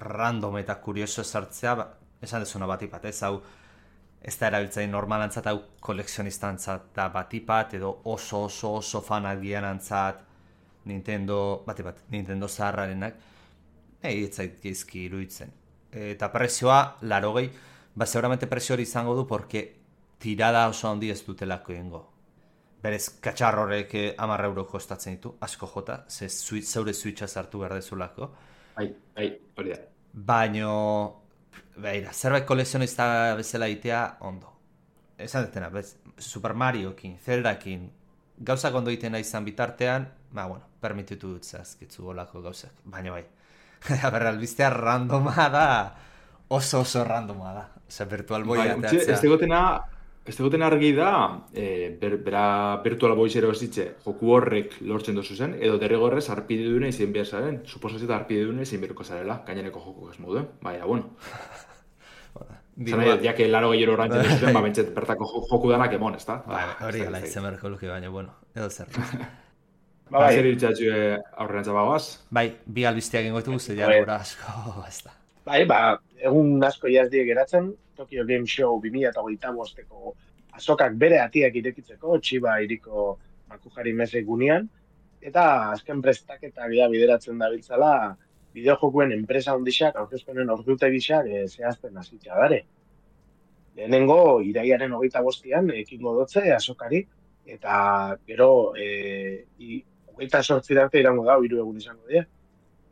E: random eta kurioso sartzea, ba, esan dezuna batipat, ez hau, ez da erabiltzain normalantzat, hau kolekzionistantzat da batipat, edo oso oso oso fanak dianantzat Nintendo, batipat, Nintendo zaharrarenak, nahi etzait geizki iruditzen. Eta prezioa, larogei, ba, seguramente prezio hori izango du, porque tirada oso handi ez dutelako egingo. Berez, katxarrorek hamar euro kostatzen ditu, asko jota, ze zeure switcha sartu behar dezulako.
D: Bai, bai, hori da.
E: Baino, beira, zerbait kolekzionista bezala itea, ondo. Esan detena, bez, Super Mariokin, Zeldakin, gauzak ondo itena izan bitartean, ba, bueno, permititu dut zazkitzu golako gauzak, baina bai. Berra, albiztea randoma da, oso oso randoma da. Osa, Virtual Boy
D: bai, ateatzea. Ez degotena, ez degotena argi da, e, ber, bera Virtual Boy zero esitxe, joku horrek lortzen dozu zen, edo derrigorrez arpide dune izin behar zaren, suposazio arpide dune izin beharko zarela, gainereko joku ez moduen, baina, bueno. Zena, ja que laro gehiero rantzen duzuen, ba, bentset, bertako joku danak emon, ez da?
E: Hori gala izan berko luke, baina, bueno, edo zer.
D: Ba, bai. Zer iritxatxu aurrean zabagoaz?
E: Bai, bi albizteak ingoetu guzti, ja, gora asko, ez da.
C: Bai, ba, egun asko jazdiek geratzen, Tokyo Game Show bi mila hogeita bosteko azokak bere atiak irekitzeko, Chiba iriko Makujari meze gunean, eta azken prestaketa bida bideratzen dabiltzala, bideojokuen enpresa ondixak, aurkezpenen ordutegisak e, zehazten hasitza dare. Lehenengo, iraiaren hogeita bostian, ekingo dotze azokari, eta gero, e, i, hogeita sortzi arte irango da, hiru egun izango dira.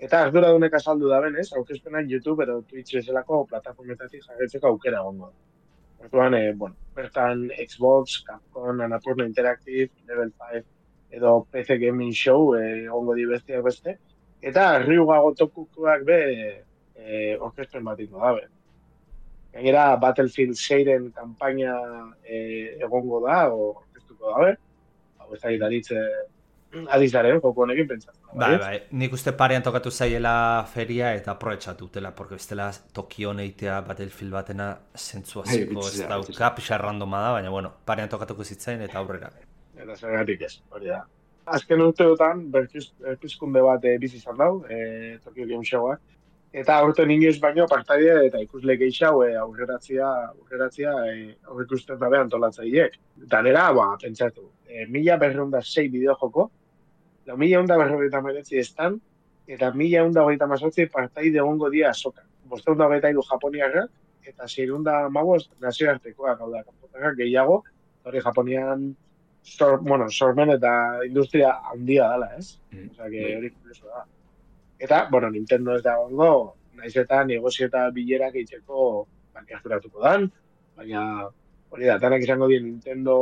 C: Eta arduradunek azaldu da benez, aurkezpenak YouTube edo Twitch bezalako plataformetatik jarretzeko aukera egongo. Orduan, e, bueno, bertan Xbox, Capcom, Annapurna Interactive, Level five edo P C Gaming Show egongo di besteak beste. Eta Ryuga gotokukoak be e, orkestren batiko dabe. Gainera, Battlefield seiren kanpaina e, egongo da, o orkestuko dabe. Hau ez da gidaritze adizaren, joko honekin pentsatzen.
E: Bai, bai, nik uste parean tokatu zaiela feria eta aprobetxatu dutela, porque bestela Tokio eitea Battlefield batena zentzu hasiko ez dauka, pixa randoma da, baina bueno, parean tokatuko zitzain eta aurrera.
C: Eta zergatik ez, hori da. Azken urteotan, berpizkunde bat e, bizi izan dau, e, Tokyo Game Showa, eta aurten inoiz baino partaide eta ikusle gehiago e, aurreratzia, aurreratzia e, aurrikusten dabe antolatzaileek. Danera, ba, pentsatu, e, mila berreunda sei bideo joko, lau mila eunda berrogeita meretzi estan, eta mila eunda hogeita mazortzi partaide egongo dia azokan. Bosteunda hogeita iru japoniarrak, eta zeirunda magoz nazioartekoak, hau da, kanpotarrak gehiago, hori Japonian sor, bueno, sormen eta industria handia dela, ez? Mm. Osea, que hori kurioso da. Eta, bueno, Nintendo ez da egongo, naiz eta negozio eta bilerak eitzeko bankiazturatuko dan, baina hori da, tanak izango dien Nintendo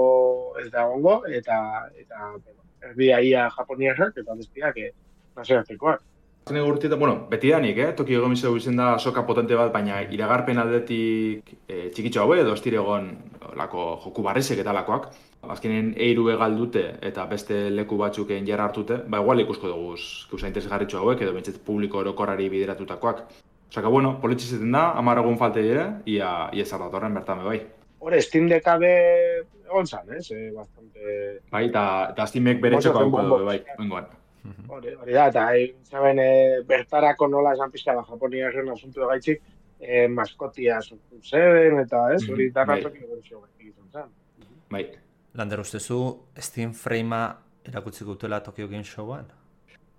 C: ez da egongo, eta, eta erdia ia japoniarrak, eta bestiak eh, nazioartekoak.
D: Zene gurtietan, bueno, betidanik, eh? Tokio Game Show izen da soka potente bat, baina iragarpen aldetik e, txikitxo haue edo estiregon lako joku barrizek eta lakoak. Azkenen eiru egal dute eta beste leku batzuken jarra hartute, ba igual ikusko dugu gauza interesgarritxo hauek edo bintzet publiko orokorrari bideratutakoak. Osaka, bueno, politxizeten da, hamar egun falte dire, ia, ia zardatorren bertame bai.
C: Hore, Steam Deckabe egon zan, ez? Eh, bastante...
D: Bai, eta Steamek bere txoko hauko dugu, bai, bengoan.
C: Hori, hori da, eta zaben e, bertarako nola esan pizka da Japoniaren asuntu egaitzik, e, maskotia sortu zen, eta ez, hori mm -hmm. darratok egorezio egiten zen.
D: Bai.
E: Lander, ustezu Steam Frame-a erakutziko dutela Tokyo Game Showan?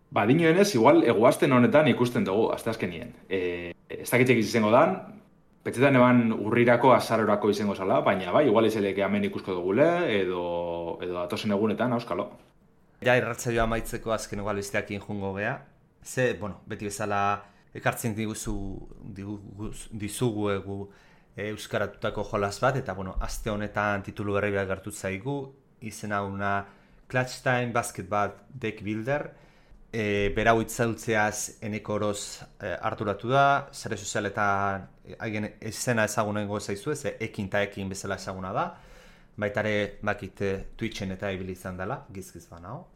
D: Ba, dinoenez, igual, eguazten honetan ikusten dugu, azte azkenien. E, ez dakitxek izango dan, petzetan eban urrirako azarorako izango zala, baina bai, igual izeleke hemen ikusko dugule, edo, edo datosen egunetan, auskalo.
E: Ja, irratzaioa amaitzeko azken egualisteak injungo gea. Ze, bueno, beti bezala ekartzen diguzu, diguz, dizugu egu e, euskaratutako jolas bat, eta, bueno, aste honetan titulu berri bat gertu zaigu, izena una Clutch Time Basketball Deck Builder, e, berau itzaltzeaz eneko oroz e, harturatu da, sare sozialetan haien e, izena ezagunengo zaizu ez, e, ekin eta ekin bezala ezaguna da, baitare bakite Twitchen eta ibili izan dela, gizgiz banao.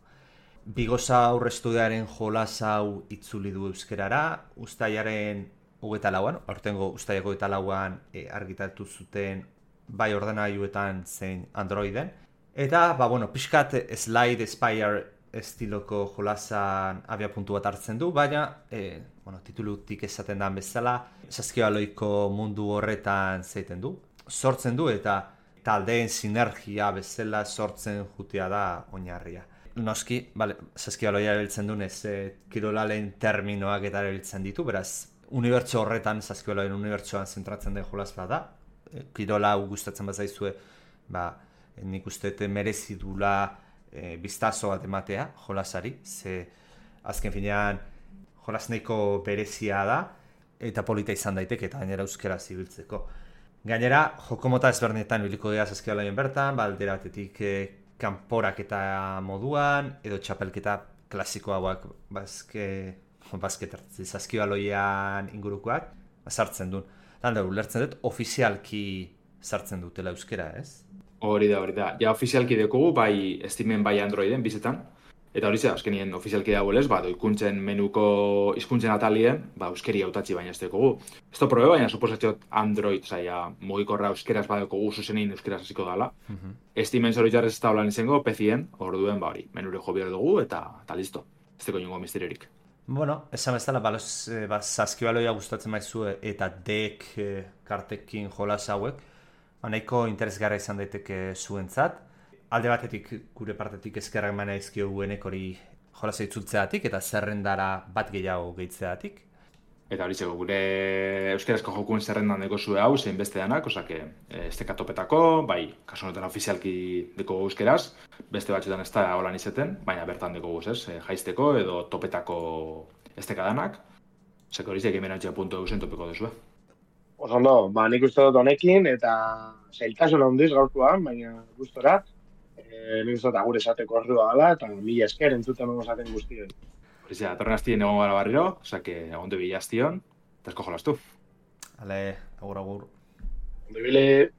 E: Bigosa aurrestudearen jolas hau itzuli du euskerara, ustaiaren hogeita lauan, aurtengo ustaiako hogeita lauan e, argitatu zuten bai ordenagailuetan zein Androiden. Eta, ba, bueno, pixkat Slide Spire estiloko jolasan abia puntu bat hartzen du, baina, e, bueno, titulutik esaten da bezala, saskibaloiko mundu horretan zeiten du, sortzen du eta taldeen sinergia bezala sortzen jutia da oinarria. Noski, bale, saskibaloia erabiltzen dunez, e, kirolalen terminoak eta erabiltzen ditu, beraz, unibertso horretan, saskibaloien unibertsoan zentratzen den jolas bat da. E, kirola hau gustatzen bat zaizue, ba, nik uste merezi dula e, biztazo bat ematea jolasari, ze azken finean jolas nahiko berezia da, eta polita izan daiteke eta gainera euskera zibiltzeko. Gainera, jokomota ezberdinetan biliko dira saskibaloien bertan, baldera batetik e, kanporak eta moduan, edo txapelketa klasiko hauak bazke, bazket saskibaloian ingurukoak, sartzen duen. Landa, ulertzen dut, ofizialki sartzen dutela euskera, ez?
D: Hori da, hori da. Ja, ofizialki dekogu, bai Steamen, bai Androiden, bizetan. Eta hori ze, azkenien ofizialki dagoelez, ba, doikuntzen menuko hizkuntzen atalien, ba, euskeri hautatzi baina ez dekogu. Ez da probe, baina suposatxot Android, zaila, mugikorra euskeraz badekogu zuzenein euskeraz hasiko dala. Mm -hmm. Steamen zoritxarrez ez da holan izango, P C-en, orduen, ba, hori, menure jo behar dugu, eta, eta listo. Ez deko ingo misteriorik.
E: Bueno, esan bezala, baloz, e, ba, saskibaloia gustatzen maizu eta dek e, kartekin jolas hauek, nahiko interesgarra izan daiteke zuentzat. Alde batetik, gure partetik eskerrak mana izkiogu enekori jolasa itzultzeatik eta zerrendara bat gehiago gehitzeatik.
D: Eta hori zego, gure euskerazko jokuen zerrendan deko zue hau, zein beste danak, osake, ez teka topetako, bai, kasu honetan ofizialki deko euskeraz, beste batxetan ez da holan izeten, baina bertan deko guz, ez, jaizteko edo topetako ez teka danak, zeko hori zeik emerantzia puntu eusen topeko duzue.
C: Oso ondo, ba, nik uste dut honekin, eta zailtasun handiz gaurkoan, baina gustora, e, nik uste dut agur esateko ordua gala, eta mila esker entzuten egon esaten guztioi.
D: Hori zera, torren hastien egon gara barriro, osake, egon du bilaztion, Tesko jolastu.
E: Ale, agur, agur.
C: Ondo ibili.